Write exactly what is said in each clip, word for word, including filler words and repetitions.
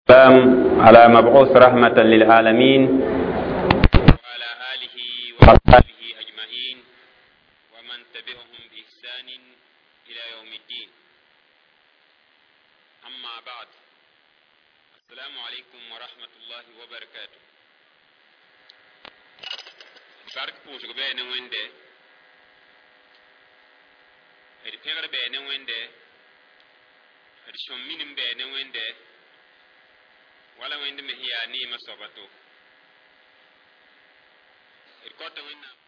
والسلام على مبعوث رحمة للعالمين وعلى آله وأصحابه أجمعين ومن تبعهم بإحسان إلى يوم الدين. أما بعد، السلام عليكم ورحمة الله وبركاته. Bark pʋʋsg bɛɛ ne Wẽnde, d pẽgr bɛɛ ne Wẽnde, d sõm minim bɛɛ ne Wẽnde, wala Wẽnd me sẽn yaa neemã soaba to d kõta Wẽnnaam.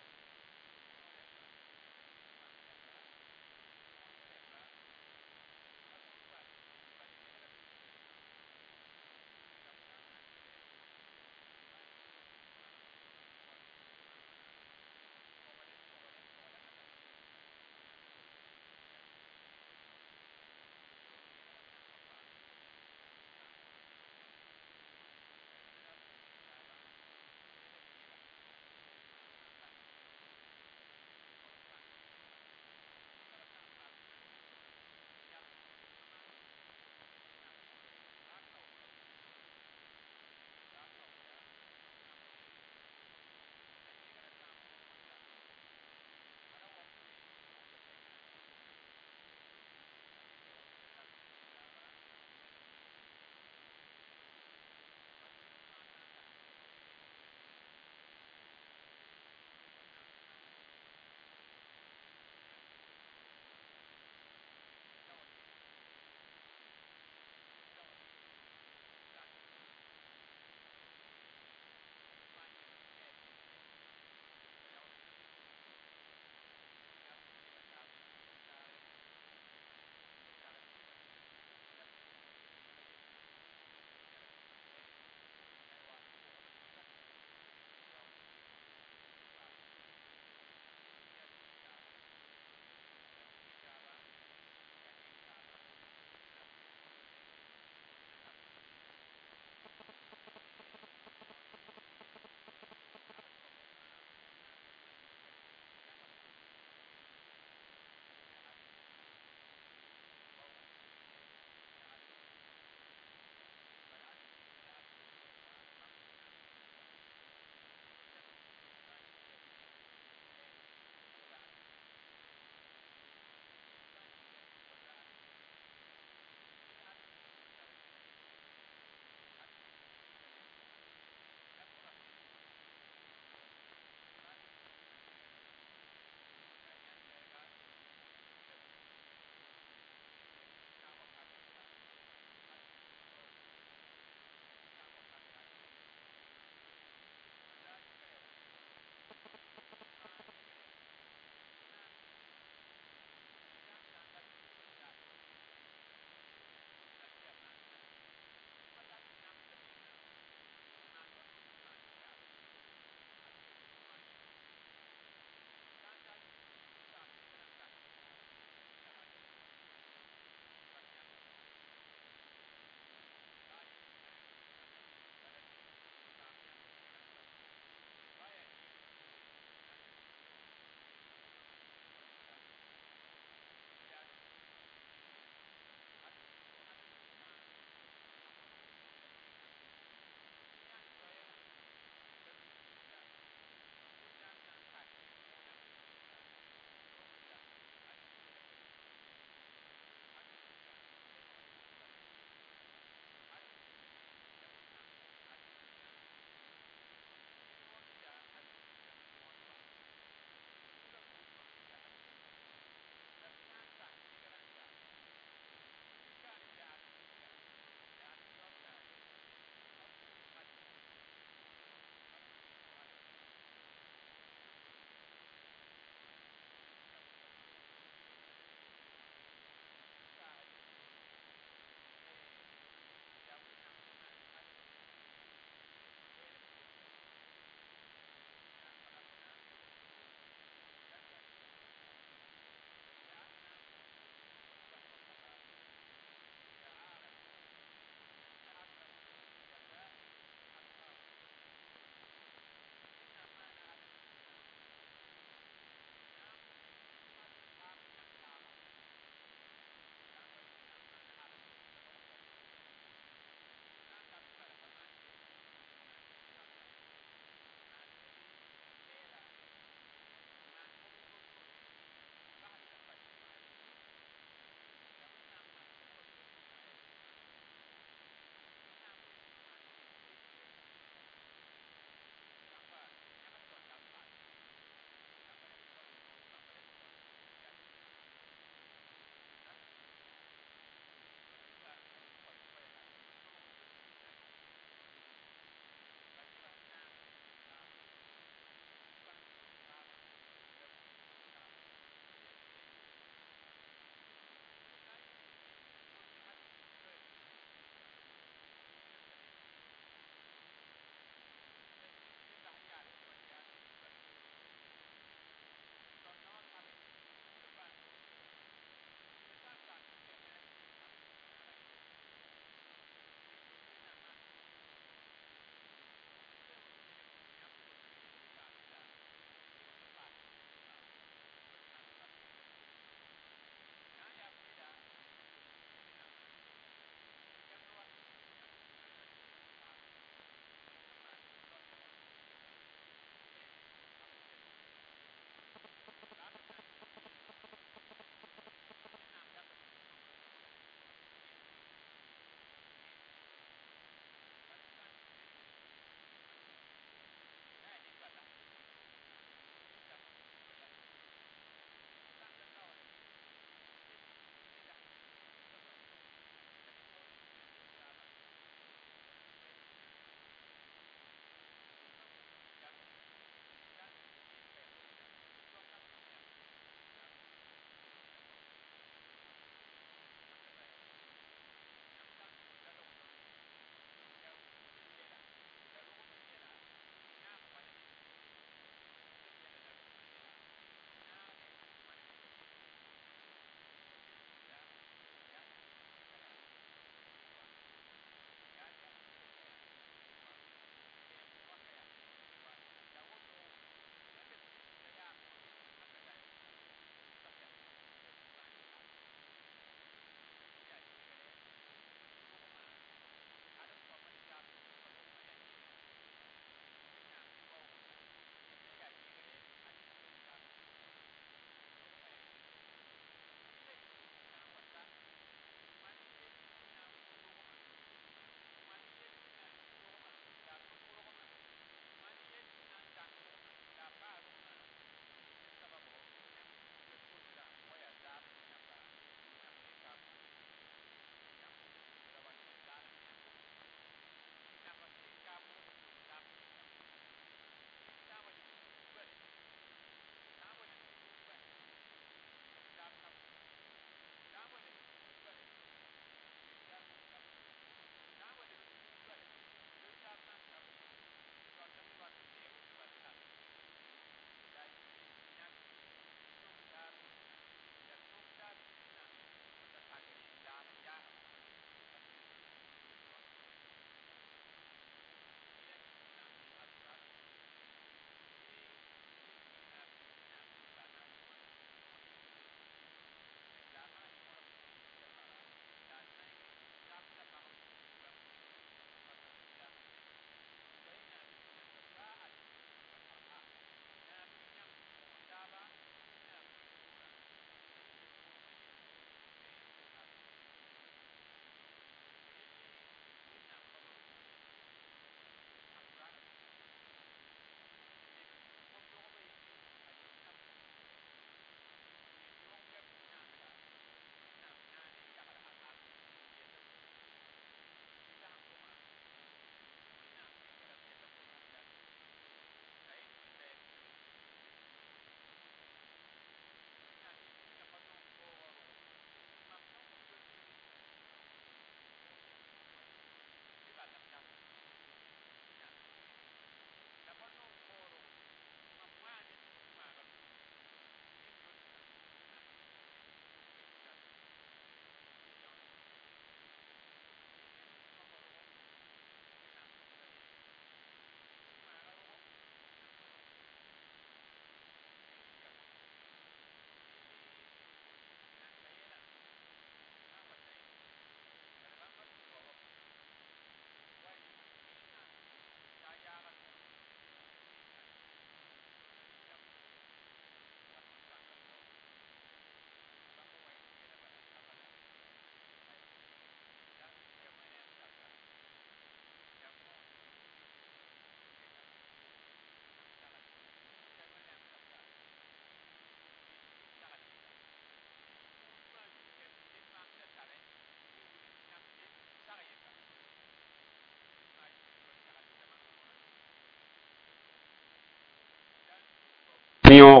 Yõ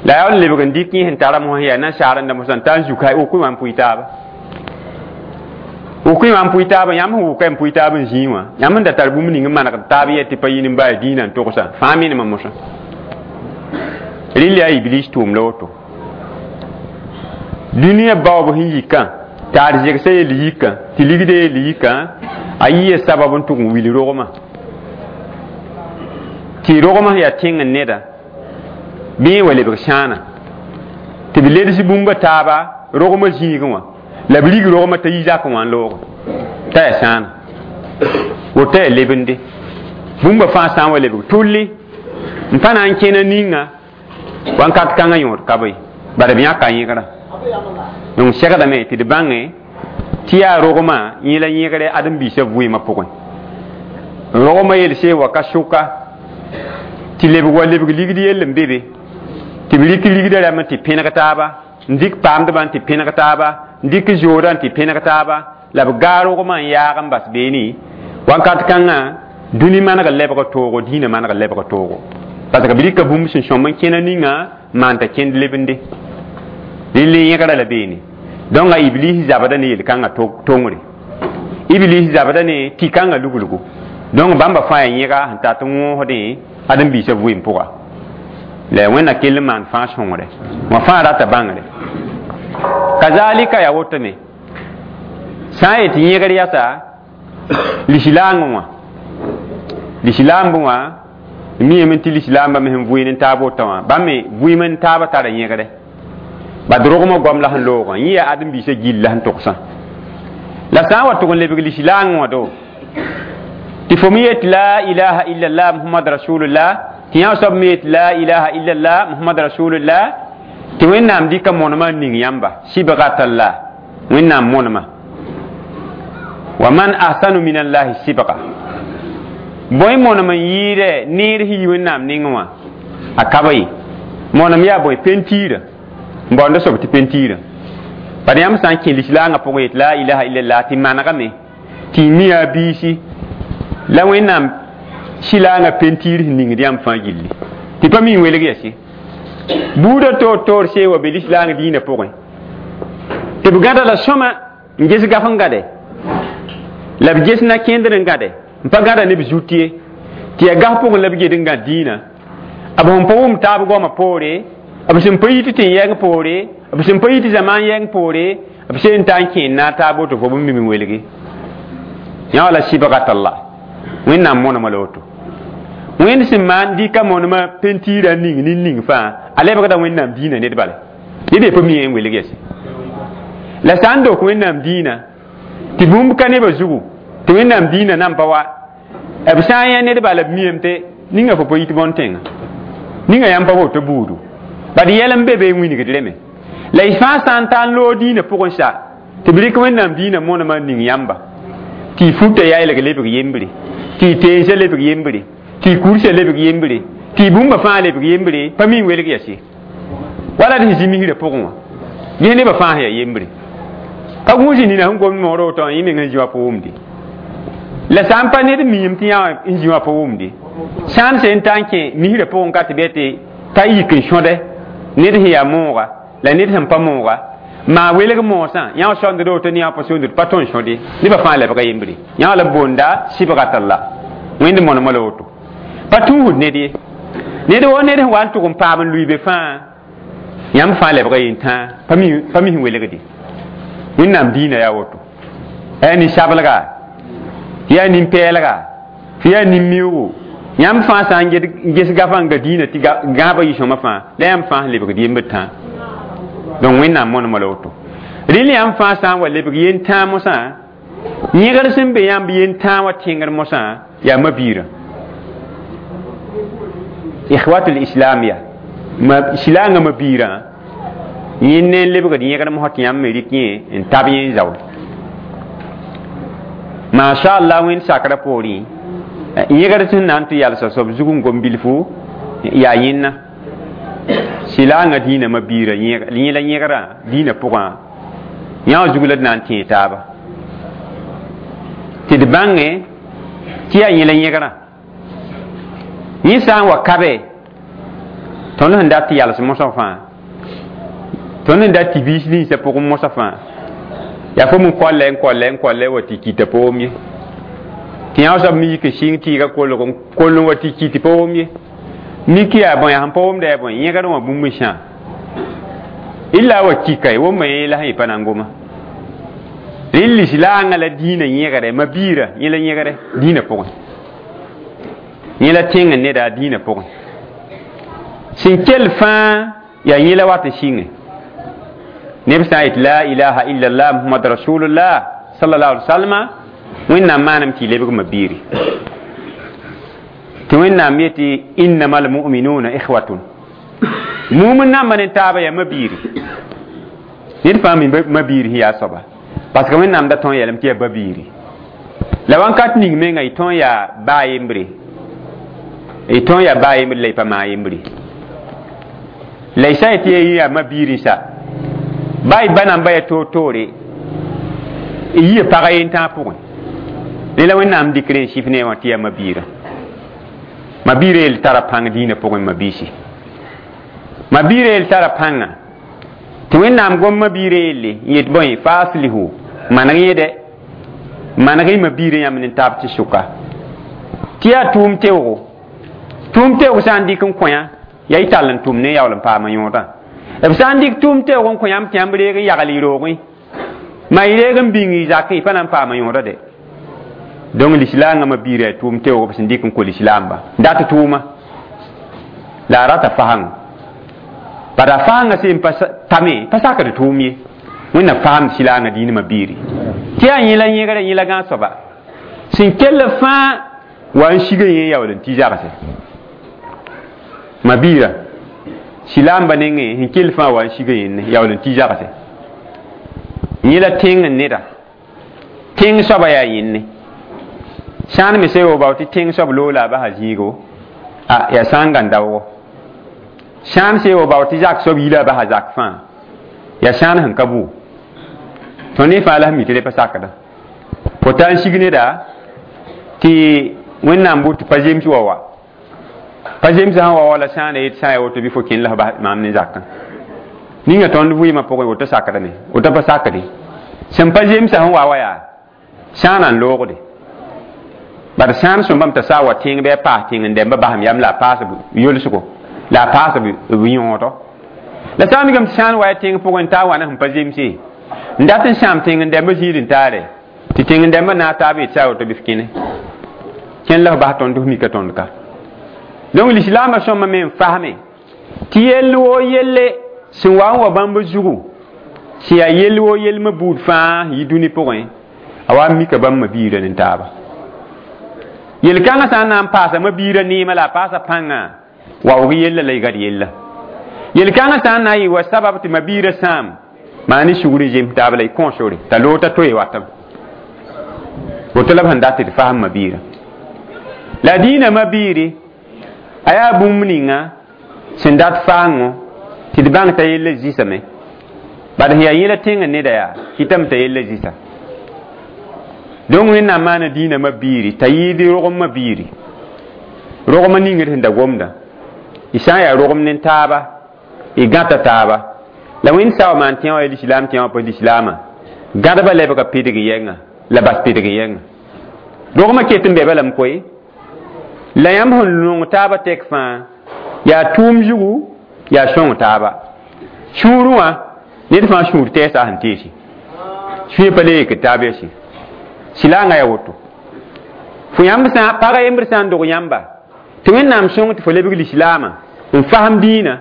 la yaa n lebg n dɩk yẽ sẽn tara mosã yaa nasaar n da mosã n ta n zuka wʋk wã n pʋɩ taaba, wʋk wã n pʋɩ taaba. Yãmb sẽn wʋka n pʋɩ taab n zĩig wã, yãmb n da tar bũmb ning n manegd taab yɛ tɩ pa yĩn n baa dĩinã n togsã fãa menemã mosã. Rɩl yaa Iblis tʋʋm la woto. Dũniyã baoob sẽn yikã t'a arzegsã yell yikã tɩ ligdã yell yikã, a yɩa sabab n tʋg n wil rogmã tɩ rogmã yaa tẽng n neda bɩ wa lebg sãana tɩ b leds bũmba taaba rogmã zĩigẽ wã la b rig rogmã t'a yi zakẽ wã n looge t'a yaa sãana woto yaa lebende. Bũmba fãa sã n wa lebg tʋlli n pa na n kẽna ninga wãnkat kãngã yõod ka be bara b yãka yẽgrã. Donc segdame tɩ d bãnge tɩ yaa rogmã yẽ la yẽgre ãdem-biisã vɩɩmã pʋgẽ. Rogmã yelse wa ka sʋka tɩ lebg wa lebg ligd yell n be be tɩ b rɩk ligdã rãmb tɩ pẽneg taaba, n dɩk paamdbã n tɩ pẽneg taaba, n dɩk zoodã n tɩ pẽneg taaba, la b gaa rogmã n yaag n bas beene. Wãnkat kãngã dũni maneg lebg toogo, dĩinã maneg lebg toogo, parce que b rɩka bũmb sẽn sõm n kẽna ninga maan t'a kẽnd lebende. Rɩl yẽgra la beene. Donc a Iblis zabda ne yel-kãngã tongre, Iblis zabda ne tɩ-kãngã luglgo. Donc bãmba fãa yaa yẽga sẽn tat n wõosdẽ ãdem-biisã vɩɩm pʋga. La Wẽnna kell n maan fãa sõngre wã fãa rata bãngre. Kazalika yaa wotome sã n yet yẽgr yasa lislaangẽ wã, lislaambẽ wã miame tɩ lislaambã me sẽn vʋɩɩn n taab wota wã, bãmb me vʋɩɩm n taabã tara yẽgre bad rogmã goam la sẽn loogã yẽ yaa ãdem-biisã gill la sẽn togsã. La sã n wa tʋg n lebg lislaangẽ wã do tɩ fo me yet la ilaha illallah Muhammad rasulullah, tɩ yã soab me yet la ilaha illallah Muhammad rasulullah, tɩ Wẽnnaam dɩka monemã n ning yãmba sibgatallah, Wẽnnaam monemã wa man ahsanu min allahi sibga. Bõe monem n yɩɩdɛ neer sẽn yi Wẽnnaam nengẽ wã a ka ba ye. Monem yaa bõe? Pentiirã n baoonda soab tɩ pentiirã. Bad yãmb sã n kẽ lislaangã pʋgẽ yet la ilaha illallah tɩ manegame tɩ y mi a biisi la Wẽnnaam sɩlaangã pentiir sẽn ningd yãmb fãa gilli tɩ pa mi n welg yɛse. Buudã toor toor see wa be lislaang dĩinã pʋgẽ tɩ b gãda la sõma n ges gaf n gãde la b ges na-kẽndr n gãde n pa gãda ne b zut ye tɩ yaa gaf pʋgẽ la b ged n gãd dĩinã. B sẽn pa wʋm taab goamã poore, b sẽn pa yit tɩ yɛng poore, b sẽn pa yit zamaan yɛng poore, b seen ta n kẽen na taab woto fo b mim n welge yã wala sibgatallah. Wẽnnaam monemã la woto. Wẽnd sẽn maan dɩka monemã pentiirã ning nin-ning fãa a lebgda Wẽnnaam dĩinã ned bale ned ye pa mi n welg yɛse. La sã n dok Wẽnnaam dĩinã tɩ bũmb ka nebã zugu tɩ Wẽnnaam dĩinã nan pa wa b sã n yã ned bala b miame tɩ ninga fo pa yit bõn-tẽngã, ninga yãmb pa woto buudu bad yɛl n be be n wingd reme. La y fãa sã n ta n loog dĩinã pʋgẽ sa tɩ b rɩk Wẽnnaam dĩinã monemã n ning yãmba tɩ y futa yaelg lebg yembre, tɩ y teensã lebg yembre, tɩ y kursã lebg yembre, tɩ y bũmba fãa lebg yembre, pa mi n welg yɛse wala d sẽn zĩ misrã pʋgẽ wã ges nebã fãa sẽn yaa yembre ka gũus nina sẽn gomd moogrã woto wã yẽ meng sẽn zĩ wã pa wʋmde. La sã n pa ned miime tɩ yã n zĩ wã pa wʋmde sã n sẽn ta n kẽ misrã pʋgẽ ka tɩ bɩ tɩ pa yik n sõde ned sẽn yaa mooga la ned sẽn pa mooga maa welg moosã yã sõnd woto ne yã pa sõnd pa tõn sõde nebã fãa lebga yembre yã la b boonda sibgatallah. Wẽnd monemã la woto pa tũusd ned ye ned wo ned sẽn wa n tʋg n paam n lʋɩ be fãa yãmb fãa lebga yen-tãa pa mi sẽn welgde. Wẽnnaam dĩinã yaa woto yaa nin-sablga, yaa nin-pɛɛlga, tɩ yaa nin-mioogo yãmb fãa sã n ges gafã n ga dĩinã tɩ gãabã yɩ sõma fãa la yãmb fãa sẽn lebgd yembd tãa. Donc Wẽnnaam monemã la woto. Rɩl yãmb fãa sã n wa lebg yen-tãa mosã yẽgr sẽn be yãmb yen-tãa wã tẽngr mosã yaa ma-biirã. Ikhwatul islam ya ma silaangã ma-biirã yẽ ne n lebgd yẽgr mosã tɩ yãmb me rɩk yẽ n tab yẽ n zao. Masha Allah Wẽnd sakrã poorẽ yẽgr sẽn na n tɩ yalsa soab zug n gom bilfu yaa yẽnna silaangã dĩinã ma-biirã yẽ la yẽgrã dĩinã pʋgã yã wã zug la d na n tẽe taaba tɩ d bãnge tɩ yaa yẽ la yẽgrã. Yẽ sã n wa kabe Tõnd sẽn dat tɩ yals mosg fãa, tõnd sẽn dat tɩ biis ninsã pʋgẽ mosg fãa, yaa fo n kolle n kolle n kolle wa tɩ kɩta pa wom ye. Tɩ yã soab me yik n sɩng tɩɩga kolg n koll n wa tɩ kɩt pa wom ye. Mik yaa bõe, yaa sẽn pa womda yaa bõe, yẽgd wã bũmb n sã illa wa kika wʋmma yẽ la sẽn yɩ pa na n goma. Rẽ lislaangã la dĩinã yẽgre ma-biirã, yẽ la yẽgre dĩinã pʋgẽ, yẽ la tẽng n neda dĩinã pʋgẽ. Sẽn kell fãa yaa yẽ la wat n sɩnge neb sã n yet la ilaha illallah Muhammad rasulullah sallallahu alaihi wasallam, Wẽnnaam maanam tɩ y lebg ma-biiri, tɩ Wẽnnaam yetɩ innama almuminuna ikhwatun, mumin namba ne taaba yaa ma-biiri. Ned fãa mi ma-biiri sẽn yaa soaba, parce que Wẽnnaam da tõe n yeelame tɩ yaa ba-biiri. La wãnkat ning menga y tõe n yaa baa yembre, y tõe n yaa baa yembre la y pa maa yembre. La y sã n yetɩ y yaa ma-biiri sa, ba y ba namba yaa toor-toore, y yia pag yen-tãag pʋgẽ. Rẽ la Wẽnnaam dɩk rẽ n sɩf ne wã tɩ yaa ma-biirã. Ma-biirã yel tara pãng dĩinã pʋgẽ. Ma-biisi, ma-biirã yel tara pãnga tɩ Wẽnnaam gom ma-biirã yelle n yet bõe: faaslihu, maneg yẽ dɛ, maneg y ma-biirã yãmb ne taab tɩ sʋka tɩ yaa tʋʋm teoogo. Tʋʋm teoog sã n dɩk n kõ yã, yaa y tall n tʋm ne yaool n paama yõodã. B sã n dɩk tʋʋm teoog n kõ yãmb tɩ yãmb reeg n yagl y roogẽ, ma y reeg n bĩng y zakẽ, y pa na n paama yõoda dɛ. Donc lislaangã ma-biirã yaa tʋʋm teoog b sẽn dɩk n kõ lislaamba dat tʋʋma la a rata fasãngo. Bad a fasãngã sẽn pa tame pa sakd tʋʋm ye. Wẽnnaam faamd silaangã dĩinã ma-biiri tɩ yaa yẽ la yẽgrã, yẽ la gãag soaba sẽn kell fãa wa n siga yẽ yaool n tɩ zagse. Ma-biirã, silaamba nengẽ sẽn kell fãa wa n siga yẽnne yaool n tɩ zagse. Yẽ la tẽng n neda, tẽng soaba yaa yẽnne. Sã n me sã bao tɩ tẽng soab loola a basa zĩigo, a yaa sã n gãn daoogo. Sã n se bao tɩ zak soab yila a basa zak fãa, yaa sãan sẽn ka bʋ. Tõnd ne fãa la sẽn mi tɩ rẽ pa sakda. Fo taa n sig neda tɩ Wẽnnaam bʋ tɩ pa zems wa wa pa zems sã n wa wala sãana yet sã n yaa woto bɩ fo kẽnd la f bas maam ne zakã ninga tõnd vɩɩmã pʋgẽ. Woto sakdame, woto pa sakde. Sẽn pa zemsã sẽn wa wa yaa sãana n loogde. Bad sãan sõmbame t'a saa wa tẽng bɩ a paas tẽng n dɛmba basem yam la a paas yolsgo la a paas b yõodo. La sã n mikame tɩ sãn wa ya tẽng pʋgẽ n taa wa ne sẽn pa zemse n dat n sãam tẽng n dɛmba zĩig n taare, tɩ tẽng n dɛmba naag taab yet sã woto bɩ f kẽne kẽn la f bas tõnd f mika tõnd ka. Donc lislaambã sõma me n fasme tɩ yell woo yelle sẽn wa n wa bãmb zugu, sẽn yaa yell woo yelmã buud fãa yi dũni pʋgẽ, a wa n mika bãmb ma-biirã ne taaba. Yel-kãngã sã n na n paasa ma-biirã neemã la a paasa pãngã, waoog yella la y gad yella. Yel-kãngã sã n na n yɩ wa sabab tɩ ma-biirã sãam maa ne sugr n zems taab la y kõosore t'a loog t'a toe watame. Woto la b sẽn dat tɩ d fasem ma-biirã. La dĩinã ma-biiri a yaa bũmb ninga sẽn dat faango tɩ d bãng t'a yella zɩsame. Bad sẽn yaa yẽla tẽng n neda yaa kɩtame t'a yella zɩsa. Donc Wẽnnaam maana dĩinã ma-biiri t'a yɩɩd rogem ma-biiri, rogmã ningd sẽn da gomda. Y sã n yaa rogem ne taaba, y gãta taaba la Wẽnd sao maan tẽ wã ya lislaam tẽ wã pa lislaamã gãdba lebga pidg yɛnga la bas pidg yɛnga. Rogmã ket n be balame koe la yãmb sẽn nong taaba tɛk fãa yaa tʋʋm zugu, yaa sõng taaba sũurẽ wã. Ned fãa sũur tɛɛsa sẽn teese sũyã pa le yek taab yɛse silaangã yaa woto. Fo yãmb sã pag yembr sã n dog yãmba tɩ Wẽnnaam sõng tɩ fo lebg lislaamã n fasem dĩinã,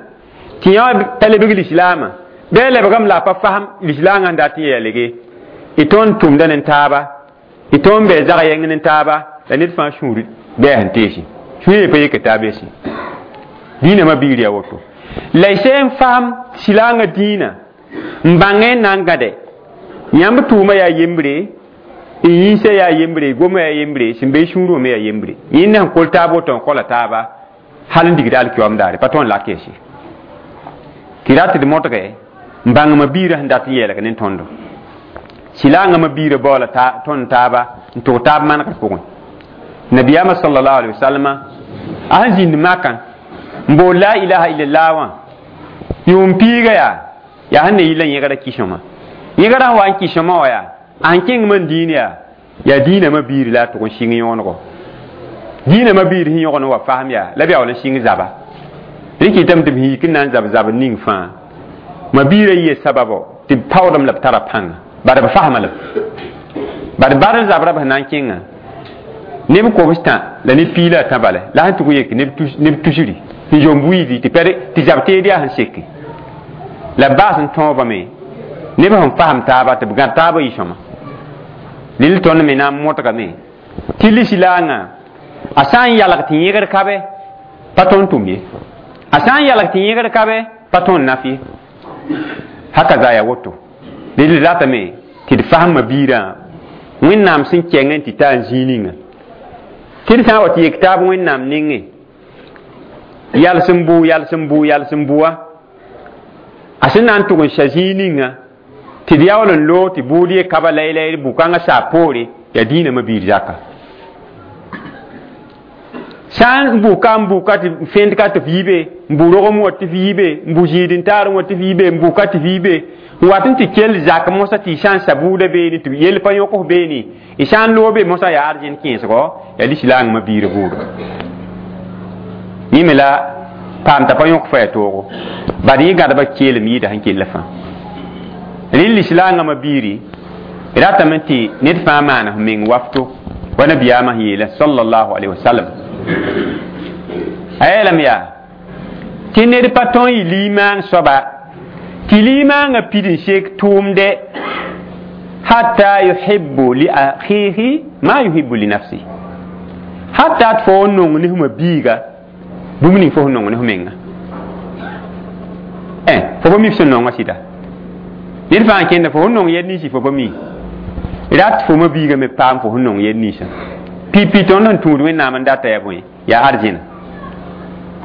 tɩ yã pa lebg lislaamã bɩ a lebgame la a pa fasem lislaangã n dat n yaa lege, y tõnd tʋmda ne taaba, y tõnd bɩ zag yɛng ne taaba la ned fãa sũur bɩ a sẽn teese sũyã pa yek taab yɛse. Dĩinã ma-biir yaa woto la y sẽn n fasem silaangã dĩinã n bãngẽ n na n gãde yãmb tʋʋmã yaa yembre, y yĩnsã yaa yembre, gomã yaa yembre, sẽn be y sũurẽ me yaa yembre. Yẽnd sẽn kol taab woto n kola taaba hal n digd alkiyoam daare pa tõnd lak yɛse tɩ rat d modge n bãng ma-biirã sẽn dat n yeelg ne tõndo. Silaangã ma-biirã baoola tõnd taaba n tʋg taab manegr pʋgẽ. Nabiyaamã sallallahu alaihi wasallam a sẽn zĩnd makã N bool la ilaha illallah wã yʋʋm piiga yaa yaa sẽn ne yɩl la yẽgda kɩ-sõma yẽgda sẽn wa n kɩ-sõma wã yaa a sẽn kẽngame n dĩin yaa yaa dĩinamã biir la a tʋg n sɩng yõonego dĩinamã biir sẽn yõgd n wa fasem yaa la b yaool n sɩng zaba rẽ kɩtame tɩ b yik n na n zab zabr ning fãa ma biirã yɩa sababo tɩ b paoodame la b tara pãnga bad b fasma la bad badr zabra b sẽn na n kẽngã neb kobs tã la neb piig la a tã bala la sẽn tʋg yek neb tusri sẽn zom buiidi tɩ pɛd tɩ zab teed yaa sẽn seke la b baas n tõobame neb sẽn fasem taaba tɩ b gãd taabã yɩ sõma lel tõnd me na n modgame tɩ lislaangã a sã n yalg tɩ yẽgr ka be pa tõnd tʋm ye a sã n yalg tɩ yẽgr ka be pa tõnd naf ye haka za yaa woto lel ratame tɩ d fasma biirã wẽnnaam sẽn kɛng n tɩ ta n zĩig ninga tɩ d sã n wa tɩ yek taab wẽnnaam nengẽ yals n bʋ yals n bʋ yals n bʋa a sẽn na n tʋg n sa zĩig ninga tɩ d yaool n loog tɩ bʋʋd ye kaba laylay bʋ-kãngã saa poore yaa dĩinamã biir zaka sã n bʋka n bʋka tɩ fẽnd ka tɩ f yi be n bʋ rogem wã tɩ f yi be n bʋ zĩid-n-taarẽ wã tɩ f yi be n bʋka tɩ f yi be n wat n tɩ kell zak mosã tɩ y sã n sa buudã beene tɩ yell pa yõk f beene y sã n loog be mosã yaa arzẽn kẽesgo yaa lislaangmã biir buudo yẽ me la paam t'a pa yõk fa yaa toogo bad yẽ gãdba keelem yɩɩda sẽn kell fãa rẽ lislaangãmã biiri ratame tɩ ned fãa maana f meng wafto wa nabiyaamã sẽn yeela sallallahu alaihi wasallam a yeelame yaa tɩ ned pa tõe n yɩ limaang soaba tɩ limaangã pid n sek tʋʋmdɛ hatta yuhibbu li akhihi ma yuhibbu li nafsi hatta tɩ fo n nong ne fma biiga bũmb ning fo sẽn nong ne f menga fo pa mi f sẽn nongã sɩda ned fãa n kẽnda fo sẽn nong yɛl ninsi fo pa mi rat fo ma biiga me paam fo sẽn nong yɛl ninsã pipi tõnd sẽn tũud wẽnnaam n data yaa bõe yaa arzẽna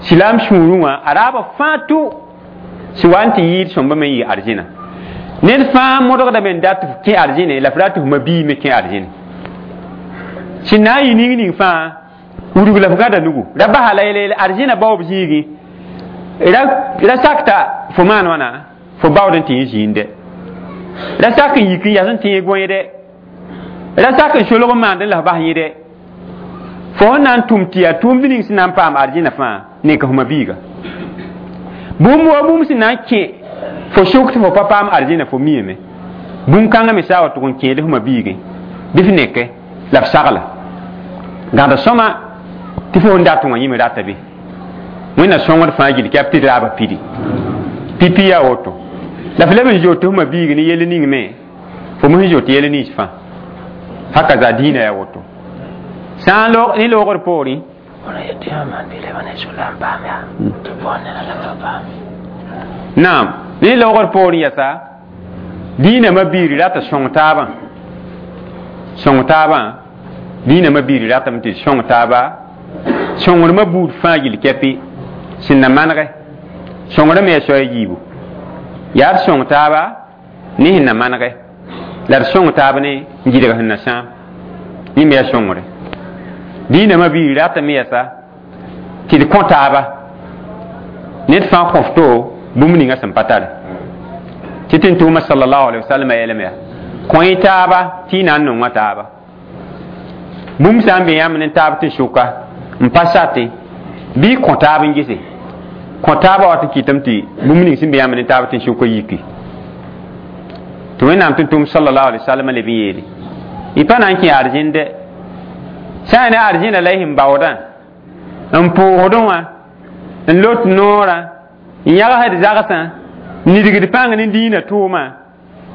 silaam sũurẽ wã a raabã fãa tʋ sẽn wa n tɩ yɩɩd sõmba me n yɩ arzẽna ned fãa modgdame n dat f kẽ arzẽne la f rat f ma bii me kẽ arzẽne sẽn na n yɩ ning ning fãa wudg la f gãda nugu ra basa la yel arzẽna baoob zĩigẽ ra sakta fo maan wãna fo baood n tɩ yẽ zĩinde ra sak n yik n yas n tẽeg gõeede ra sak n solg n maand n la f bas yẽde fo sẽn na n tʋm tɩ yaa tʋʋmd ning sẽn na n paam arzẽna fãa nek f ma biiga bũmb wa bũmb sẽn na n kẽ fo sʋk tɩ fo pa paam arzẽna fo miame bũn-kãngã me saa wa tʋg n kẽed f ma biigẽ bɩ f neke la f sagla gãd sõma tɩ fo sẽn dat wã yẽ me rata be wẽnna sõngd fãa gill kɛp tɩ d raaba pidi pipi yaa woto la f leb n zoot f ma biig ne yell ning me fo me sẽn zoot yell nins fãa haka za dĩinã yaa woto sã n ne loogr poorẽ naam ne loogr poorẽ yɛsa dĩinamã biiri rata sõng taabã sõng taabã dĩinamã biiri ratame tɩ sõng taaba sõngremã buud fãa gill kɛpɩ sẽn na manegɛ sõngrã me yaa soaya yiibu yaa d sõng taaba ne sẽn na manegɛ la d sõng taab ne n gɩdg sẽn na sãam yẽ me yaa sõngre dĩinamã biiri ratame yɛsa tɩ d kõ taaba ned fãa kõ f to bũmb ninga sẽn pa tare tɩ tɩ n tʋʋma sallallahu alaihi wasallam a yeelame yaa kõ-y taaba tɩ y na n nonga taaba bũmb sã n be yãmb ne taab tɩ sʋka n pa satẽ bɩ y kõ taab n gese kõ taabã wat n kɩtame tɩ bũmb ning sẽn be yãmb ne taab tɩ sʋka yiki tɩ wẽnnaam tɩ tʋʋm sallallahu alaihi wasallam leb n yeele y pa na n kẽ arzẽn dɛ sã n ne arzẽna la y sẽn baoodã n pʋʋsdẽ wã n lot noorã n yãgsd zagsã n nidgd pãng ne dĩinã tʋʋmã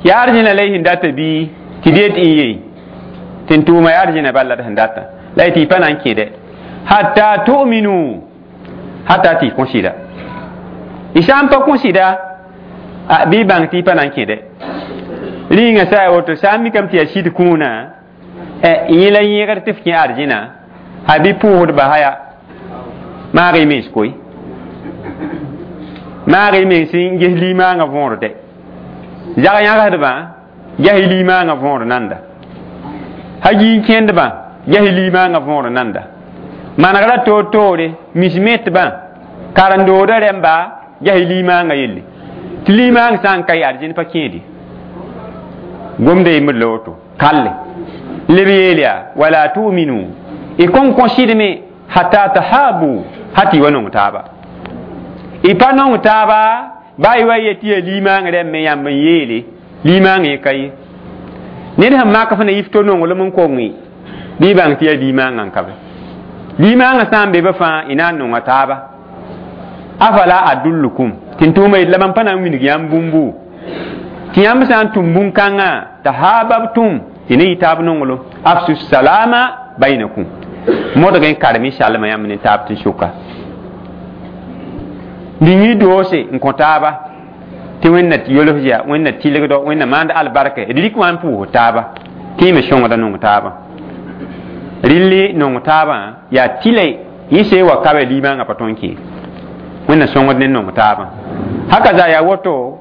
yaa arzẽna la y sẽn data bii tɩ d yet n ye tɩ n tʋʋma yaa arzẽna bal la d sẽn data la y tɩ y pa na n kẽ dɛ hatta tu'minu hatta tɩ y kõ sɩda y sã n pa kõ sɩda bɩ y bãng tɩ y pa na n kẽ dɛ rĩnga sã ya woto sã n mikame tɩ yaa sɩd kũunã yẽ la yẽgr tɩ f kẽ arzẽna a bɩ pʋʋsdba haya maag y mens koe maag y mens n ges limaangã võor dɛ zag yãgsdbã ges limaangã võor nanda ha gii n kẽndbã ges limaangã võor nanda manegrã toor-toore mis metbã Karendooda rẽmba ges limaangã yelle tɩ limaang sã n ka ye ad zẽnd pa kẽede gomda yembd la woto kalle leb yeel yaa wala tuminu y kõn kõ sɩdme hatta tahabu ha tɩ y wa nong taaba y pa nong taaba baa y wa yet tɩ yaa limaang rẽmb yãmb n yeele limaang yẽ ka ye ned sẽn mak f na yif to nonglem n kong bɩ y bãng tɩ yaa limaangã n ka be limaangã sã n be be fãa y na n nonga taaba afala adullukum tɩ n tʋʋma yet la mam pa na n wilg yãmb bũmbu tɩ yãmb sã n tʋm bũn-kãngã tahababtum tɩ ne yɩ taab nonglem afsu salama bainakum modg n karem y salma yãmb ne taab tɩ sʋka ning y doose n kõ taaba tɩ wẽnna yols yaa wẽnna tɩlgdo wẽnna maand albarka d rɩk wã n pʋʋs taaba tɩ y me sõngda nong taabã rɩlli nong taabã yaa tɩla yẽ see wa ka limaangã pa tõe n kee wẽnna sõngd ne nong taabã haka za yaa woto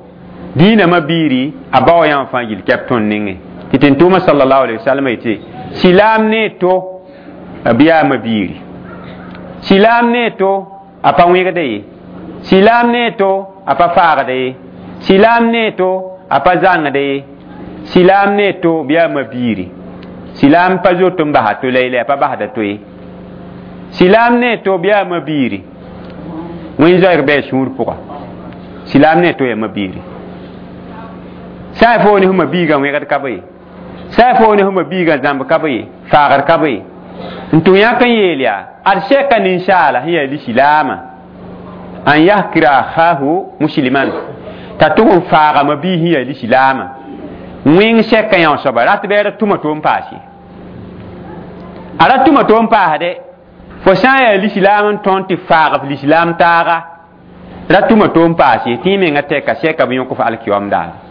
dĩinamã biiri a bao yãmb fãa yil kɛp tõnd nengẽ tɩ tẽn-tʋʋmã sallallahu alaihi wasallam yetɩ silaam ne to b yaama biiri silaam ne to a pa wẽgda ye silaam ne to a pa faagda ye silaam ne to a pa zãngda ye silaam ne to b yaama biiri silaam pa zoet n basa to la a pa basda to ye silaam ne to b yaama biiri wẽn zoeeg bɩ a sũur pʋga silaam ne to yaama biiri sã y fo ne fma biigã wẽgd ka be ye sã y fo ne fma biigã zãmb ka be ye faagd ka be ye n tʋg yãk n yeel yaa ad sɛka ninsaala sẽn yaa lisilaamã an yahkira akhahu musliman t'a tʋg n faagame biis sẽn yaa lisilaamã wẽng sɛka yã soaba rat bɩ a ra tʋma to n paas ye a ra tʋma to n paasde fo sã n yaa lisilaam n tõnd tɩ faag f lisilaam taaga ra tʋma to n paas ye tɩ y menga tɛka sɛka b yõk f alkiyoam daare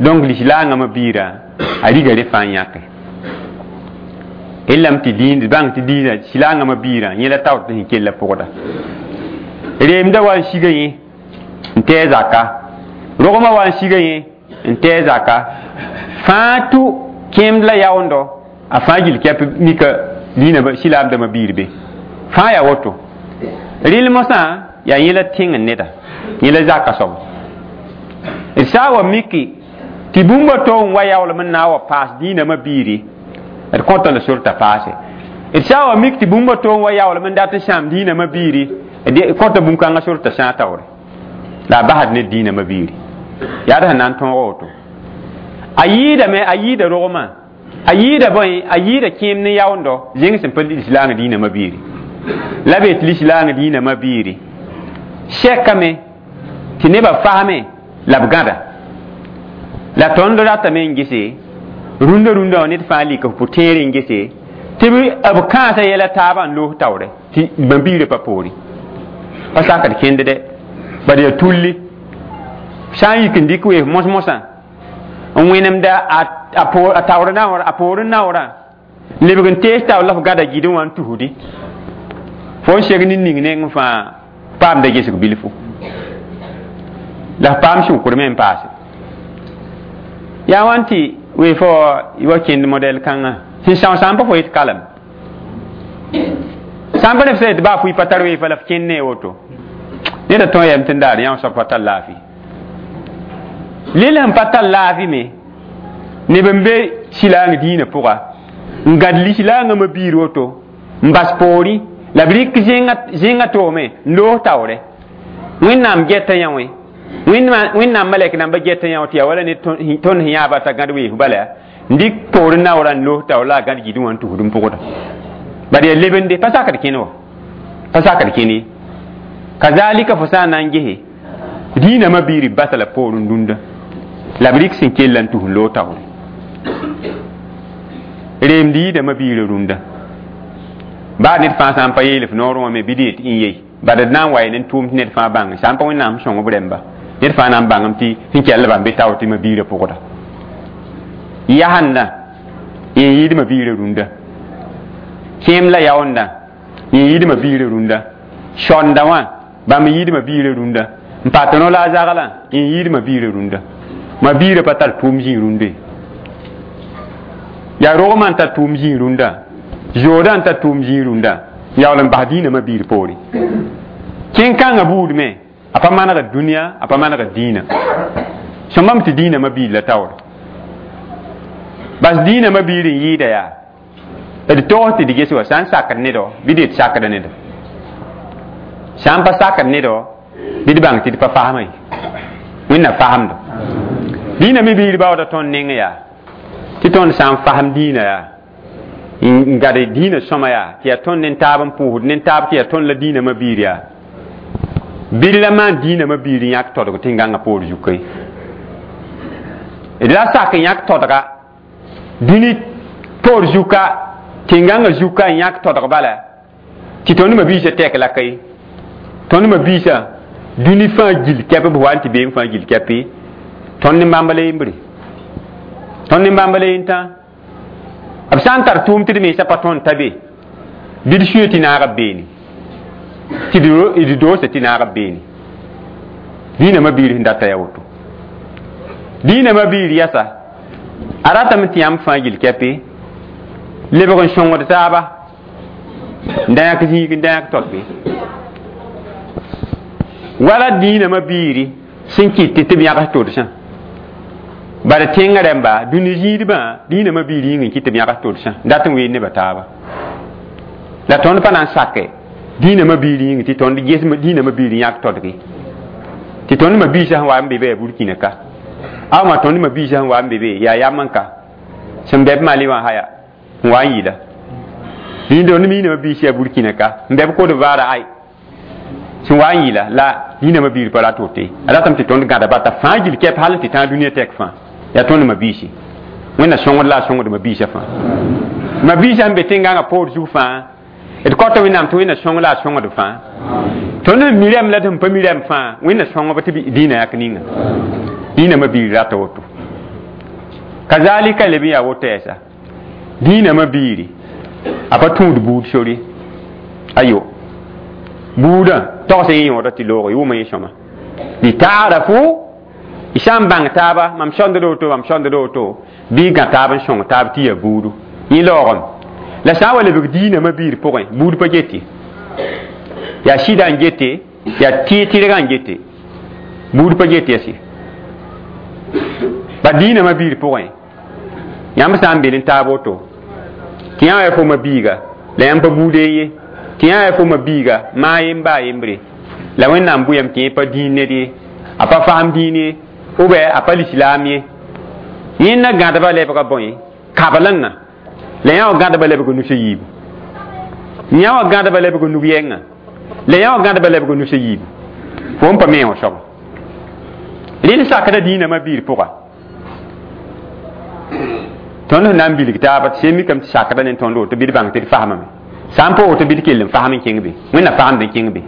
donc lislaangã biirã a riga re fãa yãke lame tɩ dĩin bãng tɩ dĩinã silaangã biirã yẽ la taoor tɩ sẽn kell pʋgda reemda wa n siga yẽ n tɛɛ zaka rogmã wa n siga yẽ n tɛɛ zaka fãa tʋ kẽemd la yaoondɔ a fãa gil kɛp mika dĩinã silaamdãmbã biir be fãa yaa woto rɩl mosã yaa yẽ la tẽng neda yẽ la zaka soab d sã n wa miki tɩ bũmba to n wa yaoolem n na n wa paas dĩinamã biiri d kõta la sor t'a paase d sã n wa mik tɩ bũmba to n wa yaoolem n dat n sãam dĩinamã biiri d kõta bũn-kãngã sor t'a sãag taoore la a basd ne dĩinamã biiri yaa d sẽn na n tõog woto a yɩɩdame a yɩɩda rogmã a yɩɩda bõe a yɩɩda kẽem ne yaoondɔ zẽng sẽn pa lislaang dĩinamã biiri la be tɩ lislaang dĩinamã biiri sɛkame tɩ nebã fasme la b gãda la tõnd ratame n gese rũndã rũndã wã ned fãa lika f pʋ-tẽere n gese tɩ b kãasã yɛla taabã n loos taoore tɩ bãmb-biirã pa poore pa sakd kẽnd dɛ bad yaa tulli sã n yik n dɩk weef mos-mosã n wẽnemda a taoor naoor a poorẽ naoorã lebg n tees taoor la f gãda gɩdẽ wã n tusdi fo n seg nin ning neng fãa paamda gesg bilfu la f paam sʋkr me n paase yaa wãn tɩ wee fo wa kẽnd modɛl kãngã sẽn são sã n pa fo yet kalem sã n pa neb sã yet baa fʋɩ pa tar weefa la f kẽnd ne woto neda tõe yam tɩ n daar yã soab pa tar laafɩ lel sẽn pa tar laafɩ me neb n be silaang dĩinã pʋga n gãd lislaangã biir woto n bas poorẽ la b rɩk zẽngã toome n loos taoore wẽnnaam gɛta yã wẽ wẽnnaam malɛk namba gɛta yã tɩ yaa wala ne tõnd sẽn yãaba t'a gãd weef bala n dɩk poorẽ naoorã n loos taoor la a gãd gɩdẽ wã n tusd n pʋgda bad yaa lebende pa sakd kẽne wa pa sakd kẽne ye kazalika fo sã n na n gese dĩinamã biiri basa la poorẽ dũnda la b rɩk sẽn kell n tus n loog taoore reemd yɩɩdamã biirã rũndã baa ned fãa sã n pa yeel f noorẽ wã me bɩ d yet n yei bad d na n wa ne tʋʋm tɩ ned fãa bãng sã n pa wẽnnaam sõng b rẽmba ned fãa na n bãngame tɩ sẽn kell bãmb be taoor tɩ ma biirã pʋgda yasẽndã yẽ yɩɩdmã biirã rũndã kẽem la yaoondã yẽ yɩɩdmã biirã rũndã sonda wã bãmb yɩɩdmã biirã rũndã n pa tɩ no la a zaglã yẽ yɩɩdmã biirã rũndã ma biirã pa tar tʋʋm zĩig rũndã yaa rogmã n tar tʋʋm zĩig rũndã zoodã n tar tʋʋm zĩig rũndã Yaool n bas dĩinã mabiir poore kẽn-kãngã buud me a pa manegd dũniyã a pa manegd dĩinã sõmbame tɩ dĩinã mabiir la taoore bas dĩinã mabiir n yɩɩda yaa d togs tɩ d ges wa sã n sakd nedɔ bɩ d yet sakda nedɔ sã n pa sakd nedɔ bɩ d bãng tɩ d pa fasma ye wẽnna fasemdo dĩinã me biir baooda tõnd neng yaa tɩ tõnd sã n fasem dĩinã yaa n gad dĩinã sõma yaa tɩ yaa tõnd ne taab n pʋʋsd ne taab tɩ yaa tõnd la dĩinã mabiir yaa bɩd la maan dĩinã mabiir n yãk todg tẽn-gãngã poor zuka ye d la sak n yãk todga dũni poor zuka tẽn-gãngã zuka n yãk todg bala tɩ tõnd mabiisã tɛk la ka ye tõnd mabiisã dũni fãa gil kɛp b wa n tɩ beem fãa gil kɛpe tõnd ne bãmb la yembre tõnd ne bãmb la yentã b sã n tar tʋʋm tɩ d mensã pa tõnd ta be bɩ d sũyã tɩ naag b beene tɩ d doosa tɩ naag b beene dĩinã mabiir sẽn data yaa woto dĩinã mabiir yɛsa a ratame tɩ yãmb fãa gil kɛpe lebg n sõngd taaba n da yãk zĩig n da yãk todbe wala dĩinã mabiiri sẽn kɩt tɩ b yãgs todsã bala tẽngã rãmba dũni zĩidbã dĩinã mabiir yĩng n kɩt tɩ b yãgs todsã dat n ween nebã taaba la tõnd pa na n sake dĩinã mabiir yĩng tɩ tõnd ges dĩinã mabiir yãk todge tɩ tõnd mabiisã sẽn wa n be be yaa burkina ka awma tõnd mabiisã sẽn wa n be be yaa yam n ka sẽn bɛ b mali wã haya n wa n yɩla dĩin tõnd miinã mabiis yaa burkina ka n bɛ b Côte d'Ivoire ay sẽn wa n yɩla la dĩinã mabiir pa rat woto ye a ratame tɩ tõnd gãda bata fãa gil kɛp hal n tɩ tãag dũniyã tɛk fãa yaa tõnd mabiisi wẽnna sõngd la a sõngd mabiisã fãa mabiisã sẽn be tẽn-gãngã poor zug fãa d kõta wẽnnaam tɩ wẽnna sõng la a sõngd fãa tõnd n mi rãmb la d sẽn pa mi rãmb fãa wẽnna sõngb tɩ dĩinã yak ninga dĩinã mabiir rata woto kazalika leb n yaa woto yɛsa dĩinã mabiiri a pa tũud buud sori ayo buudã togs yẽ yõoda tɩ loog yʋʋma yẽ sõma litaarafu y sã n bãng taaba mam sõnd woto mam sõnd woto bɩ y gã taab n sõng taab tɩ yaa buudu yẽ laoogame la sã n wa lebg dĩinã mabiir pʋgẽ buud pa gete yaa sɩda n gete yaa tɩ-tɩrgã n gete buud pa get yɛse ba dĩinã mabiir pʋgẽ yãmb sã n bel n taab woto tɩ yã wa yaa fo mabiiga la yãmb pa buud ye tɩ yã yaa fo mabiiga maa yem baa yembre la wẽnnaam bʋyame tɩ yẽ pa dĩin ned ye a pa fasem dĩin ye ou bien a pa lislaam ye yẽnda gãdba lebga bõe kablengã la yã wa gãdba lebg nus a yiibu yã wa gãdba lebg nug yɛngã la yã wa gãdba lebg nus a yiibu fo n pa me wã soaba rẽnd sakda dĩinã mabiir pʋga tõnd sẽn na n bilg taaba tɩ sẽn mikame tɩ sakda ne tõnd woto bɩ d bãng tɩ d fasmame sã n pa woto bɩ d kell n fasm n kẽng be wẽnna fasemd n kẽng be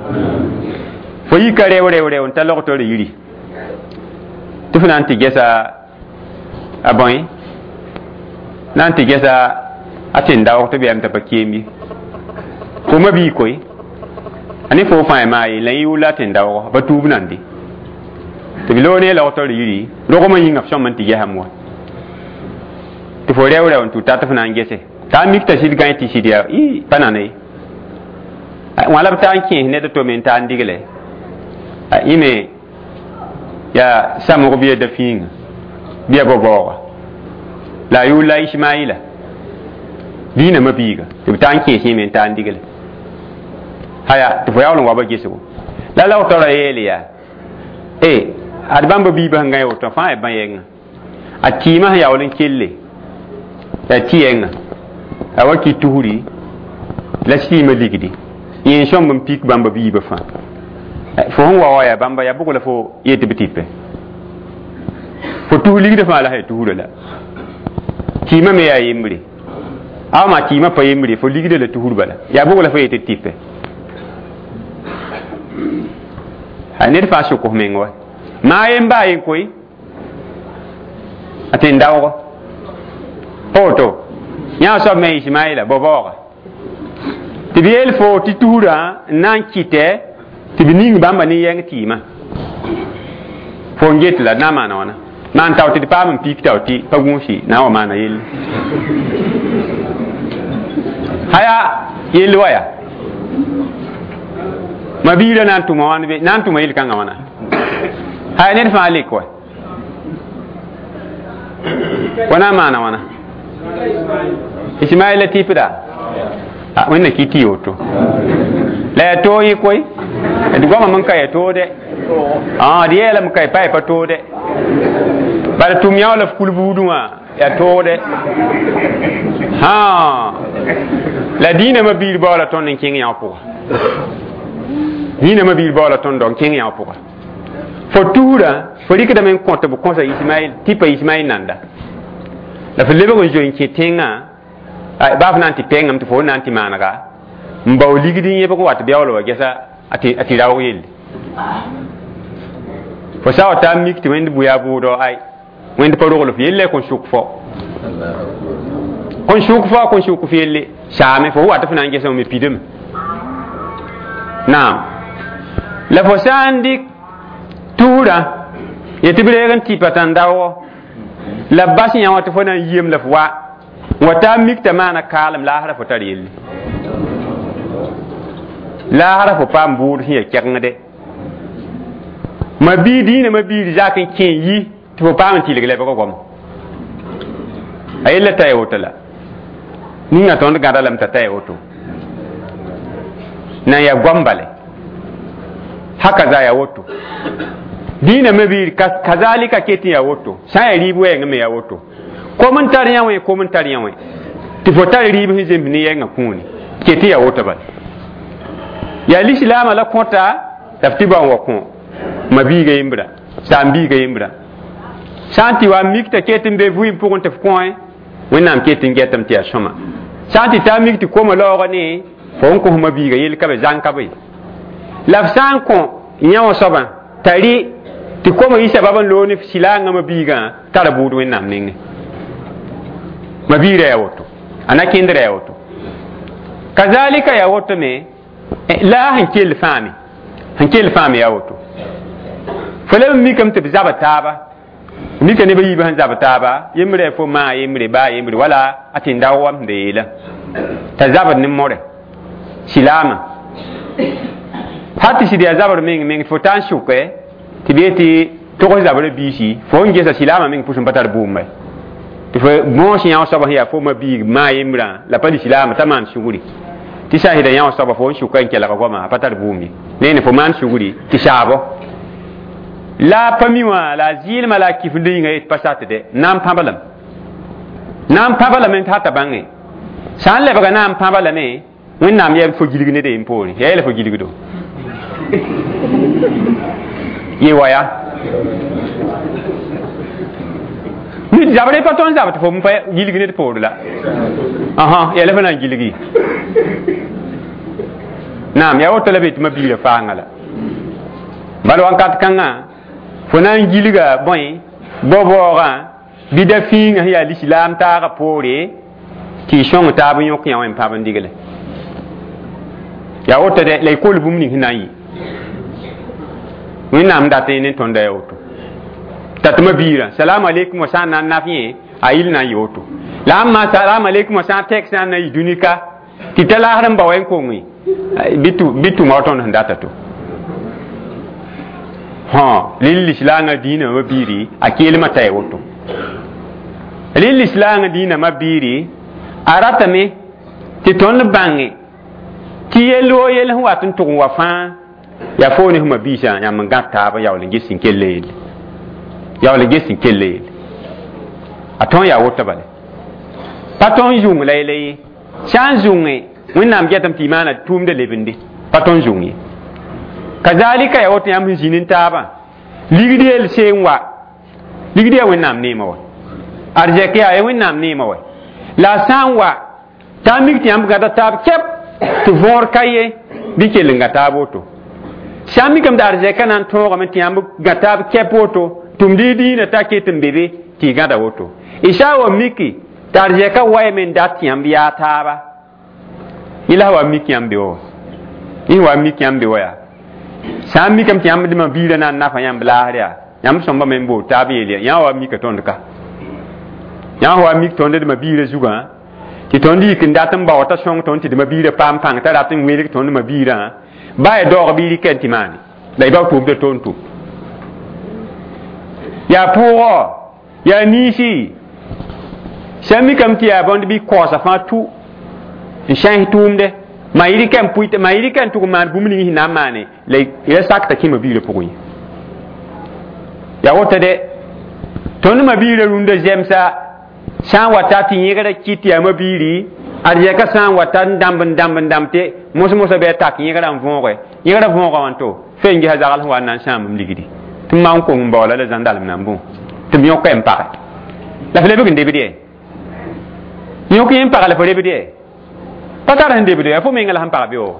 fo yika reo reo reo n ta logtr yiri tɩ fo na n tɩ gɛsa a bõe na n tɩ gɛsa a tẽn-daoog tɩ b yam t'a pa keem ye fo mabii koe a ne fo fãa maa ye la yẽ yʋʋl la a tẽn-daoogã pa tuub nande tɩ b loog ne logtr yiri rogmã yĩnga f sõm n tɩ gɛsame wa tɩ fo reo reo n tʋ tat f na n gese t'a mik t'a sɩd gãe tɩ sɩd yaa ɩ pa nana ye wã la b taa n kẽes ned to me n taa n digle yẽ me yaa samg bɩ ya da-fĩinga bɩ ya bao-baooga la a yʋʋl la ismaɩla dĩinã mabiiga tɩ b taa n kẽes yẽ me n taa n digle haya tɩ fo yaool n wa ba gesgo la lagtɔrã yeele yaa e ad bãmba biibã sẽn gã woto fãa yaa bã-yɛngã a kɩɩmã sẽn yaool n kelle yaa tɩ-yɛngã a wa kɩ tusri la sɩɩmã ligdi yẽ n sõmb n pik bãmba biibã fãa fo sẽn wa wa yaa bãmba yaa bʋg la fo yet b tɩpɛ fo tus ligdã fãa la sã tusrã la kɩɩmã me yaa yembre awma kɩɩmã pa yembre fo ligdã la tusr bala yaa bʋg la fo yet d tɩpɛ a ned fãa sʋk f meng wa maa yem baa yen koe a tẽn-daoogɔ pa woto yã soab me ismaɩla bao-baooga tɩ b yeel fo tɩ tusrã n na n kɩtɛ tɩ b ning bãmba ne yɛng tɩɩmã fo n get la d na n maana wãna maan tao tɩ d paam n pik tao tɩ pa gũusi na n wa maana yelle haya yell wa yaa Ma biirã na n tʋma wãn be na n tʋma yel-kãngã wãna hay ned fãa lek wa fo na n maana wãna Ismaɩl la tɩpda wẽnna kɩ tɩ woto la yaa toog yẽ koe d goamame n ka yaa toode d yeelame ka pa yaa pa toode bala tʋm yã la f kul buudẽ wã yaa toode la dĩinã biir baoola tõnd n kẽng yã pʋga dĩinã biir baoola tõnd n kẽng yã pʋga fo tuura fo rɩkdame n kõ tɩ b kõsa Ismaɩl tɩpa Ismaɩl nanda la fo lebg n zoe n kẽ tẽngã baa f na n tɩ pengame tɩ fo na n tɩ maanega n bao ligd n yẽbg wa tɩ beool wa gɛsa a tɩ raoog yelle fo sa wa taa mik tɩ wẽnd bʋ yaa bʋʋdɔ ay wẽnd pa rogl f yelle kõn sʋk fo kõn sʋk fo kõn sʋk f yelle saame fo wa tɩ f na n gɛsã me pidame naam la fo sã n dɩk tuurã yetɩ b reeg n tɩpa tãn-daoogɔ la b bas yã wã tɩ fo na n yiem la f wa wa taa mik t'a maana kaalem laasra fo tar yelle laasra fo paam bʋʋd sẽn yaa kɛgengde ma bii dĩinã ma biir zak n kẽ yi tɩ fo paam n tɩlg lebg goamo a yella t'a ya woto la ninga tõnd gãda lame t'a ta ya woto nan yaa goam bale haka za ya woto dĩinã me biir kazalika ket n yaa woto sã n yaa rɩɩb wɛɛngẽ me yaa woto kom n tar yã wẽ kom n tar yã wẽ tɩ fo tar rɩɩb sẽn zems ne yɛngã kũuni ket n yaa woto bala yaa lislaamã la kõta la f tɩ ba n wa kõ ma biiga yembra saam biiga yembra sã n tɩ wa mik t'a ket n be vɩɩm pʋgẽ tɩ f kõe wẽnnaam ket n gɛtame tɩ yaa sõma sã n tɩ taa mik tɩ koma laoogã ne fo n kõs ma biiga yell ka be zãng ka be la f sã n kõ yã wã soabã t'a rɩ tɩ koma yɩ sabab n loog ne sɩlaangã ma biigã tara bʋʋd wẽnnaam nengẽ ma biirã yaa woto a na kẽndrã yaa woto kazalika yaa woto me la sẽn kell fãame sẽn kell fãame yaa woto fo leb n mikame tɩ b zaba taaba mika neb a yiibã sẽn zab taaba yembre fo maa yembre baa yembre wala a tẽn-daoog wam sẽn da yeela t'a zabd ne more silaamã hal tɩ sɩd yaa zabr meng meng fo taa n sʋke tɩ b yetɩ togs zabrã biisi fo n gesa silaamã meng pʋs n pa tar bʋʋmba tɩ fo bõos yã wã soaba sẽn yaa fo ma biig maa yembrã la pa lislaamã t'a maan sugri tɩ sã n sɩda yã wã soaba fo n sʋka n kelga goamã a pa tar bʋʋm ye neene fo maan sugri tɩ saabo la a pa mi wã la a zɩɩlmã la a kifnd yĩnga yet pa satde na n pãba lame na n pãba lame t'a t'a bãnge sã n lebga na n pãba lame wẽnnaam yɛb fo gilg ned yen poore yaa yɛla fo gilgdo ye waya nid zabre pa tõnd zab tɩ fo pa gilg ned poor la ãhã yɛla fo na n gilgi naam yaa woto la be tɩ ma biirã faangã la bala wãnkat kãngã fo na n gilga bõe bao-baoogã bɩ da fĩingã sẽn yaa lislaam taagã poore tɩ y sõng taab n yõk yã wã n pãb n digle yaa woto dɛ la y kol bũmb ning sẽn na n yɩ wẽnnaam dat ne tõnda yaa woto t'a tɩ ma biirã salaam aleykum wa sã n na n naf yẽ a yɩl na n yɩ woto la ãmb maa salaam aleykum wa sã n tɛk sã n na n yɩ dũni-ka tɩ ta laasr n ba wa n konge bɩ tʋma wa tõnd sẽn data to hã rɩl lislaangã dĩinã ma biiri a keelmã t'a ya woto rɩl lislaangã dĩinã ma biiri a ratame tɩ tõnd bãnge tɩ yell woo yell sẽn wat n tʋg n wa fãa yaa fo ne sẽma biisã yãmb n gãd taab n yaool n ges sẽn kell yelle yaool n ges sẽn kell yelle a tõn yaa woto bale pa tõn zũng la yella ye sã n zũnge wẽnnaam gɛtame tɩ y maana tʋʋmda lebende pa tõn zũng ye kazalika yaa woto yãmb sẽn zĩnd n taabã ligd yell see n wa ligd yaa wẽnnaam neemã wa arzɛk yaa ya wẽnnaam neemã wa la a sã n wa t'a mik tɩ yãmb gãda taab kɛp tɩ võor ka ye bɩ kell n gã taab woto sã n mikame tɩ arzɛkã na n tõogame tɩ yãmb gã taab kɛp woto tʋmd y dĩinã t'a ket n be be tɩ y gãda woto y sã n wa miki tɩ arzɛkã waame n dat tɩ yãmb yaa taaba yẽ la wa mik yãmb be wa yẽ wa mik yãmb be wa yaa sã n mikame tɩ yãmb dẽmã biirã na n nafa yãmb laasr yaa yãmb sõmba me n bool taab yeel ya yã wa mika tõnd ka yã wa mik tõnd dẽmã biirã zugã tɩ tõnd yik n dat n bao t'a sõng tõnd tɩ dẽmã biirã paam pãng t'a rat n welg tõnd ma biirã Ba ya daoog bɩ y rɩk n tɩ maane la y bao tʋʋmdã toon tʋm yaa pʋʋgɔ yaa niisi sã n mikame tɩ yaa bõnd bɩ kaoosa fãa tu n sãs tʋʋmde ma y rɩka n pʋɩ ma y rɩka n tʋg n maan bũmb ning sẽn na n maane la y ra sakta kẽma biirã pʋgẽ ye yaa woto de tõnd ma biirã rũndã zemsa sã n wa ta tɩ yẽgrã kɩt yaa ma biiri ad yɛka sã n wa ta n dãmb n dãmb n dãmb tɩ mos-mosã bɩ a tak yẽgrã n võoge yẽgrã võoga wãnto fe n gesa zagl sẽn wa n na n sãam m ligdi tɩ m maan kong n baoola la zãndalem na n bõ tɩ m yõka n page la f lebg n debd yɛ yõk yẽ n pag la f lebd yɛ pa tar sẽn debd ya fo menga la sẽn pag beoog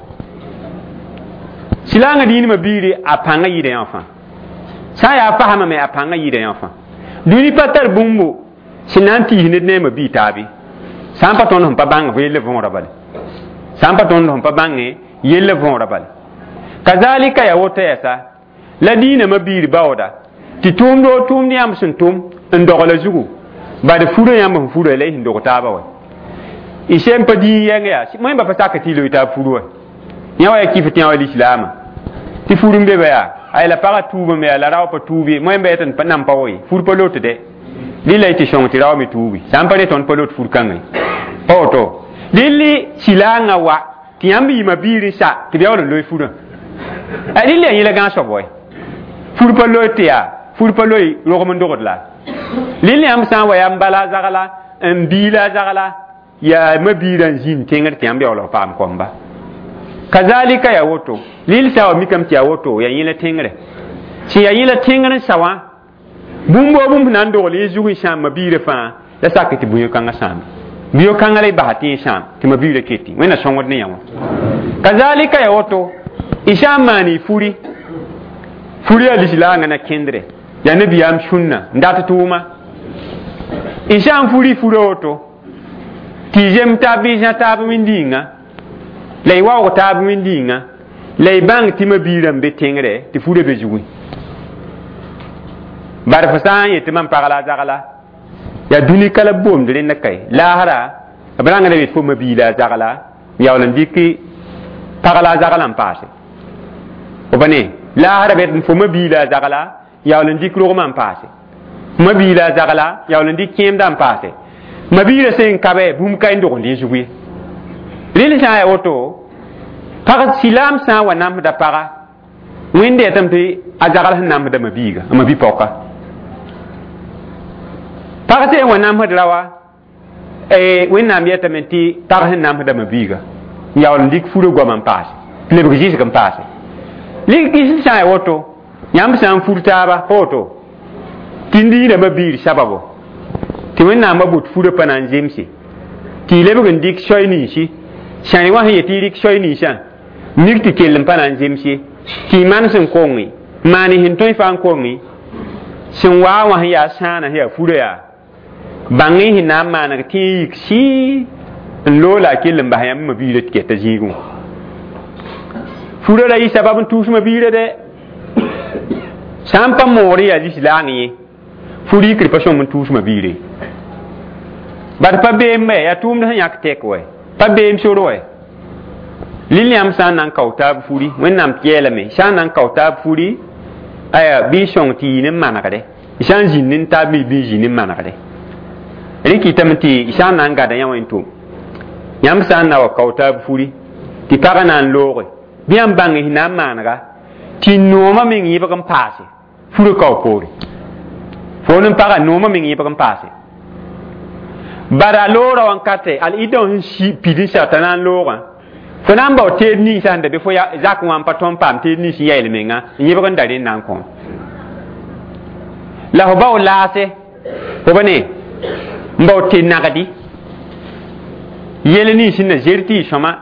silaangã dĩinmã biiri a pãngã yɩɩda yã fãa sã n yaa fasmame a pãngã yɩɩda yã fãa dũni pa tar bũmbu sẽn na n tiis ned ne a ma-bii taabe sã n pa tõnd sẽn pa bãng fo yell võora bale sã n pa tõnd sẽn pa bãnge yell võora bale kazalika ya woto yɛsa la diinã ma-biir baooda tɩ tʋʋmd o tʋʋmd yãmb sẽn tʋm n dogla zugu bad furã yãmb sẽn fura la y sẽn dog taaba wa y sem pa dĩig yɛng yaa wẽmba pa sak tɩ y loe taab furu wa yã wa ya kɩf tɩ yã wa lislaamã tɩ fur n be ba yaa ay la pagã tuubame yaa la rao pa tuub ye wẽmba yetɩ nan pa wa ye fur pa lot dɛ rɩla y tɩ sõng tɩ rao me tuubi sã n pa re tõnd pa lot fur kãngã ye pa woto rɩlli silaangã wa tɩ yãmb yɩma biir n sa tɩ b yaool n loe furã rɩl yaa yẽla gãag soab wa fur pa loe tɩ yaa fur pa loe rogem n dogd la rɩl yãmb sã n wa yaa n bala a zagla n biila a zagla yaa ma-biirã n zĩnd tẽngr tɩ yãmb yaool b paam kõmba kazalika yaa woto rɩl sã wa mikame tɩ yaa woto yaa yẽla tẽngre sẽn yaa yẽla tẽngr n sa wã bũmb o bũmb na n dogl yẽ zug n sãam ma-biirã fãa la sak tɩ bũyo-kãngã sãame bũyo-kãngã la y basa tɩ yẽ sãam tɩ ma-biirã keti wẽnna sõngd ne yã wã kazalika yaa woto y sã n maan y furi furi yaa lislaangã na kẽndre yaa nabiyaam sũnna n dat tʋʋma y sã n furi fura woto tɩ y zem taab bɩ y zã taab wẽnd-yĩnga la y waoog taab wẽnd-yĩnga la y bãng tɩ ma-biirã n be tẽngre tɩ furã be zugẽ bar fo sã n yetɩ mam pag la a zagla yaa dũni ka la boomd rẽnda kae laasra b rãngda yet fo ma-biila a zagla n yaool n dɩk pag la a zagla n paase f pa ne laasra b fo ma-biila a zagla yaool n dɩk rogmã n paase ma-biila a zagla yaool n dɩk kẽemdã n paase ma-biirã sẽn kabe bũmb ka n dogend yẽ zug ye rẽnd sã n yaa woto pag silaam sã n wa namsda paga wẽnde yetame tɩ a zagl sẽn namsda ma-biiga a ma-bi-paoka pag sẽn wa namsd raoa wẽnnaam yetame tɩ pag sẽn namsda ma-biiga n yaool n dɩk furã goam n paase tɩ lebg zɩsg n paase lig sã n yaa woto yãmb sã n fur taaba pa woto tɩ n diinã ma-biir sababo tɩ wẽnnaamã bot furã pa na n zemse tɩ y lebg n dɩk soay ninsi sãy wã sẽn yetɩ y rɩk soay ninsã mik tɩ kell n pa na n zems ye tɩ y maan sẽn konge maan sẽn tõe fãa n konge sẽn waa wã sẽn yaa sãana sẽn yaa furã yaa bãng y sẽn na n maaneg tɩ y yik sɩɩ n loog la a kell n bas yãmb ma-biirã tɩ kɛta zĩigẽ wã furã ra yɩ sabab n tʋʋs ma-biirã dɛ sã n pa moor n yaa lislaang ye fur yikr pa sõm n tʋʋs ma-biire bad pa beem bɛ yaa tʋʋmd sẽn yãk tɛk wɛ pa beem sor wɛ lil yãmb sã n na n kao taab furi wẽnnaam yeelame sã n na n kao taab furi aya bɩ y sõng tɩ yɩ ne manegre y sã n zĩnd ne taab me bɩ y zĩ ne manegre rẽ kɩtame tɩ y sã n na n gada yã wẽn tʋm yãmb sã n na wa kao taab furi tɩ pagã na n looge bɩ yãmb bãng sẽn na n maanega tɩ noomã meng yẽbg n paase furã kao poore fo n pagã noomã meng yẽbg n paase bara loora wãnkate al ida sẽn si pid n sa t'a na n loogã fo na n bao teed ninsã sẽn da be fo zak wã n pa tõnd paam teed nins n yael menga n yẽbg n da rẽnd na n kõ la fo bao laase fo ba ne n bao te nagdi yel nins sẽn na zer tɩ y sõma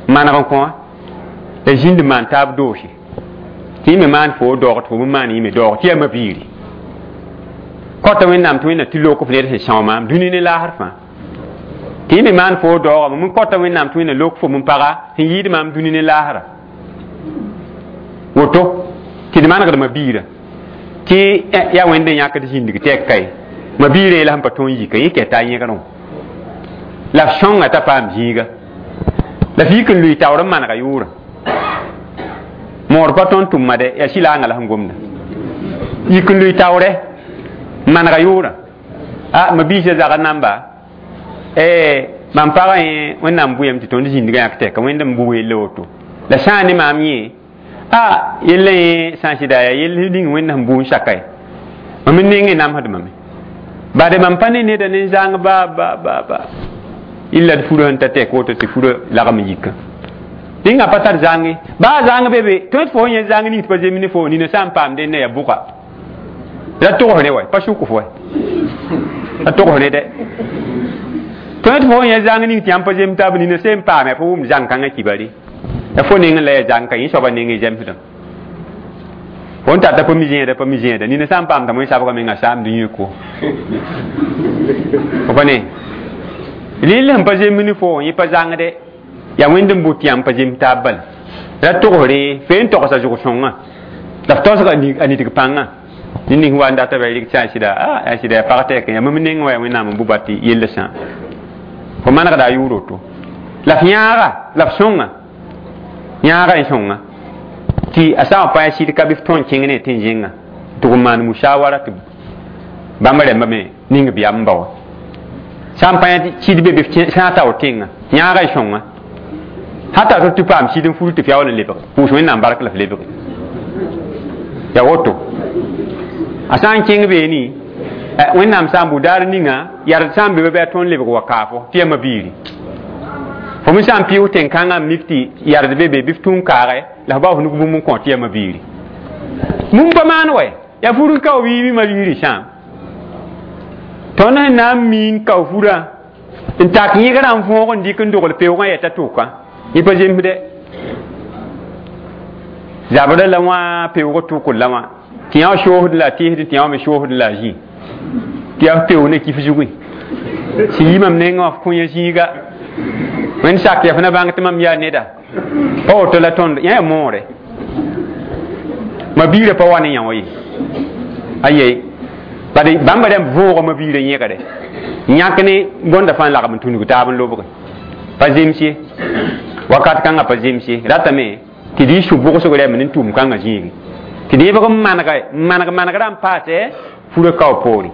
maneg n kõ la zĩnd maan taab doose tɩ y me maan fo doog tɩ fo me maan yẽ me doog tɩ yaa ma-biiri kota wẽnnaam tɩ wẽnna tɩ lok f ned sẽn sõo maam dũni ne laasr fãa tɩ y me maan fo daoogame m kota wẽnnaam tɩ wẽnna lok fo m paga sẽn yɩɩd maam dũni ne laasra woto tɩ d manegd ma-biirã tɩ yaa wẽnd n yãkd zĩndg tɛk kae ma-biirã yeela sẽn pa tõe n yika yẽ kɛta a yẽgrẽ la f sõnga t'a paam zĩiga la f yik n lʋɩ taoor n manega yʋʋrã Moor pa tõnd tʋmma dɛ yaa sɩlaangã la sẽn gomda yik n lʋɩ taoorɛ n manega yʋʋrã a ma biisã zagr namba mam pagã yẽ Wẽnnaam bʋyame tɩ tõnd zĩndgã yãk tɛka Wẽnd n bʋ yelle woto la sã n ne maam yẽ a yella yẽ sã n sɩda yaa yell ning Wẽnd sẽn bʋ n saka ye mam n nengẽ namsdmame bade mam pa ne neda ne zãng ba ba ba ba illa d furã sẽn ta tɛk woto tɩ furã lagm n yikã dẽnga pa tar zãnge baa zãng be be tõe tɩ fo yẽ zãng ning tɩ pa zem ne fo nina sã n paam dẽnna yaa bʋga ra togs ne wa pa sʋk fo wa ra togs ne dɛ tõe tɩ fo yẽ zãng ning tɩ yãmb pa zem taab nina sẽn paame fo wʋm zãng kãngã kibare la fo neng la yaa zãng ka yẽ soaba nengẽ zemsdã fo n tata pa mi zẽeda pa mi zẽeda nina sã n paam t'a moe sabga menga saamd yẽko fo pa ne rɩl sẽn pa zemb ne fo yẽ pa zãngde yaa Wẽnd n bʋ tɩ yãmb pa zemb taab bala ra togsre fe n togsa zʋg-sõngã la f taoosga a nidg pãngã ned ning wa n data ba rɩk tɩ a sɩda a sɩda yaa pag tɛk yaa mam neng wa yaa Wẽnnaam n bʋ ba tɩ yella sã fo manegda a yʋʋr woto la f yãaga la f sõnga yãaga n sõnga tɩ a sã n pa sɩd ka bɩ f tõe n kẽng ne tɩ n zẽnga tɩ g maan musawara tɩ bãmb rẽmba me ning b yam n ba wa sã n pa sɩd be bɩ f sã tao tẽnga yãaga n sõnga hata to tɩ paam sɩd n fur tɩ f yaool n lebg pʋʋs Wẽnnaam bark la f lebge ya woto a sã n kẽng beene Wẽnnaam sã n bʋ daar ninga yard sã n be bɩ a tõnd lebg wa kaafo tɩ yaa mabiiri fo me sã n pɩʋs tẽn-kãngã n mik tɩ yard be be bɩ f tũun kaage la f bao f nug bũmb n kõ tɩ yaa mabiiri mum pa maan wɛ yaa fur n kao wɩɩ mabiiri sãam tõnd sẽn na n miin kao furã n tak yẽgrã n võog n dɩk n dogl peoogã yɛta tʋka yẽ pa zemsdɛ zabrã la wã peoog tʋkr la wã tɩ yã soosd la tɩɩsd tɩ yã me soosd la zĩ tɩ yaa f peoog ne kif zugẽ sẽn yi mam nengã wã f kõ yã zĩiga Wẽnd sak yaa f na bãng tɩ mam yaa neda pa woto la tõnd yã yaa moore mabiirã pa wa ne yã wã ye aye bad bãmba rãmb võoga mabiirã yẽgre yãk ne bõnda fãa lagm n tũnug taab n lobge pa zems ye wakat kãngã pa zems ye ratame tɩ d yɩ sũ-bʋgsg rɛm ne tʋʋm kãngã zĩigi tɩ d yẽbg n manega n maneg manegrã n paase furã kao poore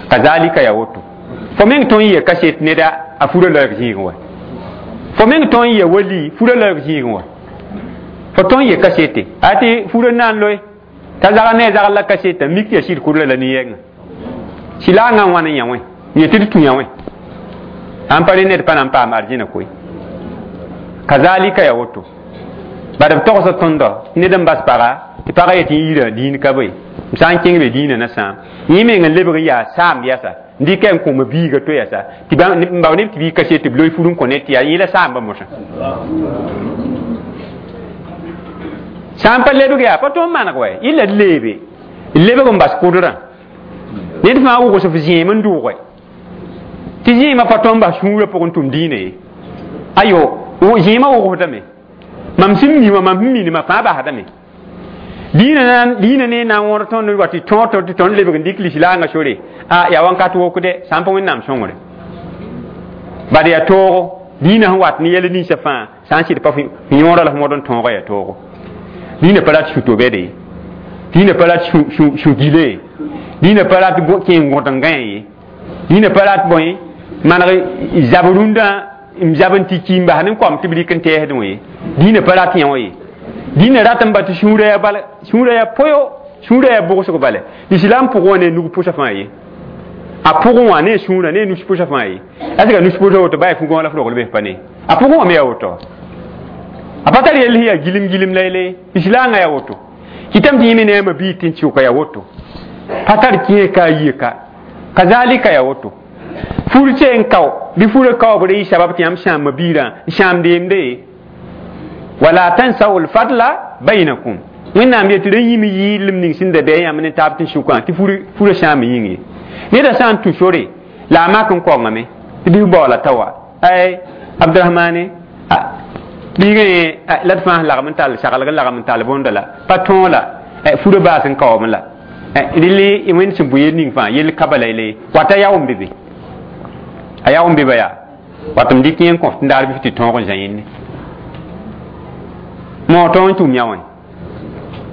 kazalika yaa woto fo meng tõe n yɩa kaset neda a furã laoog zĩigẽ wa fo meng tõe n yɩa wali furã laoog zĩigẽ wa fo tõe n yɩ kasete a tɩ furã na n loe t'a zag ne a zagl la kaseta mik tɩ yaa sɩd kurla la nin-yɛngã sɩlaangã n wãn n yã wẽ yẽ tɩ d tũ yã wẽ sãn pa re ned pa na n paam arzẽna koe kazalika yaa woto bad b togsd tõndɔ ned n bas paga tɩ pagã yetɩ yirã diin ka be m sã n kẽng be diinã na sãam yẽ meng n lebg n yaa saam yɛsa n dɩka n kõ biiga to yɛsa tɩ n bao neb tɩ bii kaset tɩ b loe fur n kõ ned tɩ yaa yẽ la saamba mosã sã n pa lebg yaa pa tõnd maneg wɛ yɩ la d leebe n lebg n bas kʋdrã ned fãa wʋgs f zẽem n dʋʋge tɩ zẽemã pa tõnd bas sũurã pʋgẽ tʋm diinã ye ayo zẽemã wʋgsdame mam sẽn mi wã mam sẽn minimã fãa basdame diinã diinã ne na n wõr tõnd wa tɩ tõog tɩ tõnd lebg n dɩk lislaangã sore a yaa wãnkat wokde sã n pa Wẽnnaam sõngre bad yaa toogo diinã sẽn wat ne yɛl ninsã fãa sã n sɩd pa yõora la f mod n tõoga yaa toogo diinã pa rat sũ-to-bɛde ye diinã pa rat sũ-gile ye diinã pa rat kẽ n gõt n gãe ye diinã pa rat bõe maneg zab rũndã n zab n tɩ ki n bas ne koam tɩ b rɩk n tɛɛsdẽ wã ye diinã pa rat yã wã ye dĩnã rat n ba tɩ sũurã yaa bala sũurã yaa poyo sũurã yaa bʋgsg bala lislaam pʋgẽ wã ne nug pʋsã fãa ye a pʋgẽ wã ne sũurã ne nus pʋsã fãa ye a nus pʋsã woto baa fu-gão la f rogl bes pa ne a pʋgẽ wã me yaa woto a pa tar yell sẽn yaa gilim gilim la yele lislaangã yaa woto kɩtame tɩ yẽ me ne a mabiig tɩ n sʋka yaa woto pa tar kẽe ka a yie ka kazalika yaa woto fur n kao bɩ furã kaoobr yɩ sabab tɩ yãmb sãam mabiirã n sãamd yemde wala tansaw lfadla bainakum Wẽnnaam yetɩ rẽ yĩm yɩɩlem ning sẽn da bɩ yãmb ne taab tɩ sʋkã tɩ furã sãam yĩng ye neda sã n tũ sore la a mak n kongame tɩ bɩ f baoola ta wa ay Abdurahmane biigã yẽ la d fãa lagm n tall saglg n lagm n tall bõnda la pa tõog la furã baas n kaoome la rɩl Wẽnd sẽn bʋ yel ning fãa yell ka bala yele wata yao n be be a yao n be ba yaa wat m dɩk yẽ n kõf tɩ daar bɩ f tɩ tõog n zã yẽnne Mo tõog n tʋm yã wã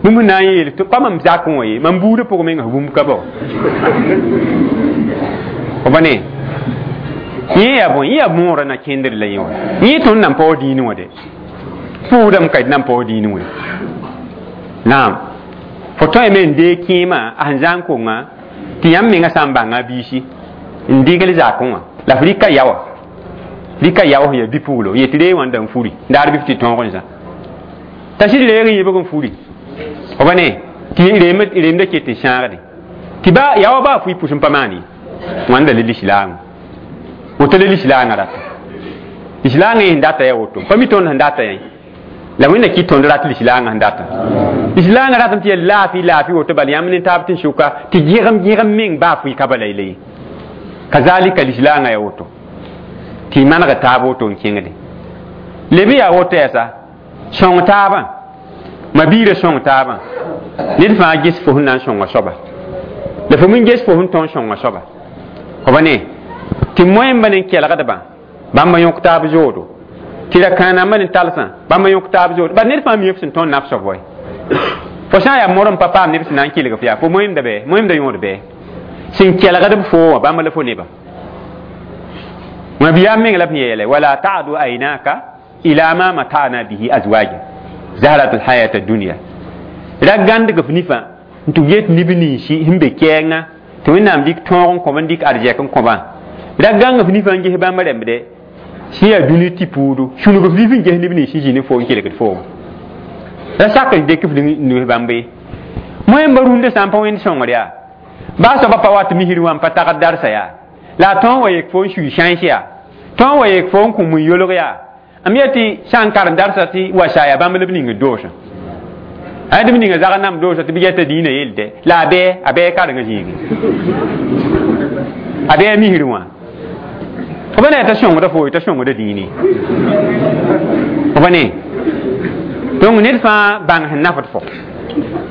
bũmb na n yeel tɩ pa mam zakẽ wã ye mam buudã pʋgẽ menga bũmb ka bao f ba ne yẽ yaa bõe yẽ yaa moorã na kẽndr la yẽ wã yẽ tõnd nan paoog dĩinẽ wã de pʋʋsdame ka d nan paoog dĩinẽ wã naam fo tõeme n deeg kẽemã a sẽn zã n konga tɩ yãmb menga sã n bãnga a biisi n dɩgl zakẽ wã la f rɩka yaoã rɩka yao sẽn yaa bi-puglo yetɩ reeg wã n da n furi daar bɩ f tɩ tõog n zã t'a sɩd reeg n yibg n furi f ba ne tɩ reemda ket n sãagde tɩ ba yaoã baa fui pʋs n pa maan ye wãnda la lislaam woto la lislaangã rata lislaangã yẽ sẽn data yaa woto pa mi tõnd sẽn data yẽ la wẽnna kɩt tõnd rat lislaangã sẽn data lislaangã ratame tɩ yaa laafɩ laafɩ woto bala yãmb ne taab tɩ n sʋka tɩ gẽgem gẽgem meng baa fui ka bala yela ye kazalika lislaangã yaa woto tɩ y maneg taab woto n kẽngde leb yaa woto yɛsa sõng taabã ma biirã sõng taabã ned fãa ges fo sẽn na n sõnga soaba la fo min ges fo sẽn tõe n sõnga soaba f ba ne tɩ moẽmba ne kelgdbã bãmba yõk taab zoodo tɩ ra kãanamba ne talsã bãmba yõk taab zoodo bal ned fãa mi f sẽn tõnd naf soab wɛ fo sã n yaa mor n pa paam neb sẽn na n kelg f yaa fo moẽmda bɛ moẽmda yõod bɛ sẽn kelgd b foo wã bãmba la fo neba mabiyaam meng la b yeele wala ta'du aynaka ila ma mata'na bihi azwaja zahrat alhayat ad-dunya ra gãndg f nifã n tɩ get neb ninsi sẽn be kɛɛngã tɩ wẽnnaam dɩk tõog n kõb n dɩk arzɛk n kõbã ra gãng f nifã n ges bãmb rẽmbde sẽn yaa dũni tɩ puudu sũnug f nif n ges neb nins zĩ ne fo n kelgd fooma ra sak n dɩk f nus bãmb ye moẽmba rũndã sã n pa wẽnd sõngr yaa baa soaba pa wat misr wã n pa tagd darsa yaa la a tõog wa yek fo n sui sãens yaa tõog wa yek fo n kũ mun yolg yaa m yet tɩ sã n karem darsa tɩ wa sa yaa bãmb la b ning doosã a d b ninga zag n nam doosã tɩ b yɛta dĩinã yelde la a bɛɛ a bɛɛ karengã zĩigi a bɛɛ misr wã f ba ne t'a sõngda fo t'a sõngda dĩine f ba ne donc ned fãa bãng sẽn nafd fo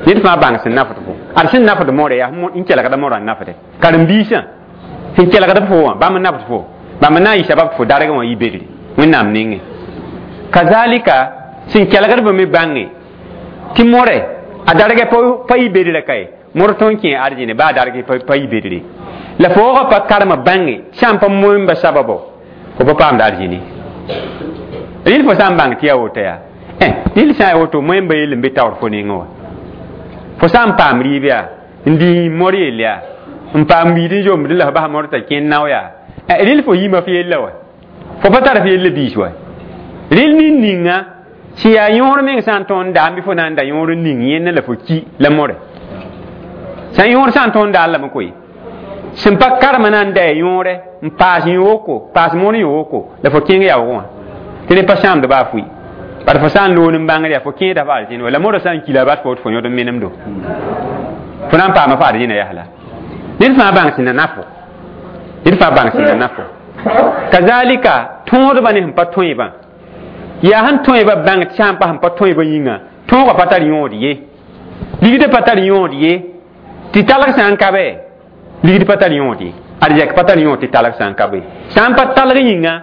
ned fãa bãng sẽn nafd fo ad sẽn nafd moore yaa n kelgda morã n nafde karen-biisã sẽn kelgd fo wã bãmb n nafd fo bãmb n na n yɩ sabab fo dargẽ wã yɩ bedre wẽnnaam nengẽ kazalika sẽn kelgdbã me bãnge tɩ more a dargɛ pa yɩ bedrã ka ye mor tõnd kẽ arzẽne baa darg pa yɩ bedre la foogã pa karema bãnge sã n pa moẽmba sababo fo pa paamda arzẽne rɩl fo sã n bãng tɩ yaa woto yaa rɩl sã n yaa woto moẽmba yell n be taoor fo nengẽ wã fo sã n paam rɩɩb yaa n dĩ mor yell yaa n paam wiid n zomd la f bas mor t'a kẽnd nao yaa rɩl fo yĩma f yella wa fo pa tar f yella biis wa rɩl nin ninga sẽn yaa yõor meng sã n tõnd n daam bɩ fo na n da yõor n ning yẽnna la fo ki la more sã n yõor sã n tõnd n daal lame koe sẽn pa karema na n da yõore n paas yõ-woko paas moon yõ-woko la fo kẽng yaoog wã tɩ rẽ pa sãamd baa fʋɩ bad fo sã n loon n bãngr yaa fo kẽeda f arzẽn wa la morã sã n kila bat fo tɩ fo yõd n menemdo fo na n paama fo arzẽna yasla ned fãa bãng sẽn na nafo ned fãa bãng sẽn na nafo kazalika tõodbã ne sẽn pa tõebã yaa sẽn tõebã bãng tɩ sã n pa sẽn pa tõebã yĩnga tõogã pa tar yõod ye ligdã pa tar yõod ye tɩ talg sã n ka bɛ ligd pa tar yõod ye arzɛk pa tar yõod tɩ talg sã n ka be sã n pa talg yĩnga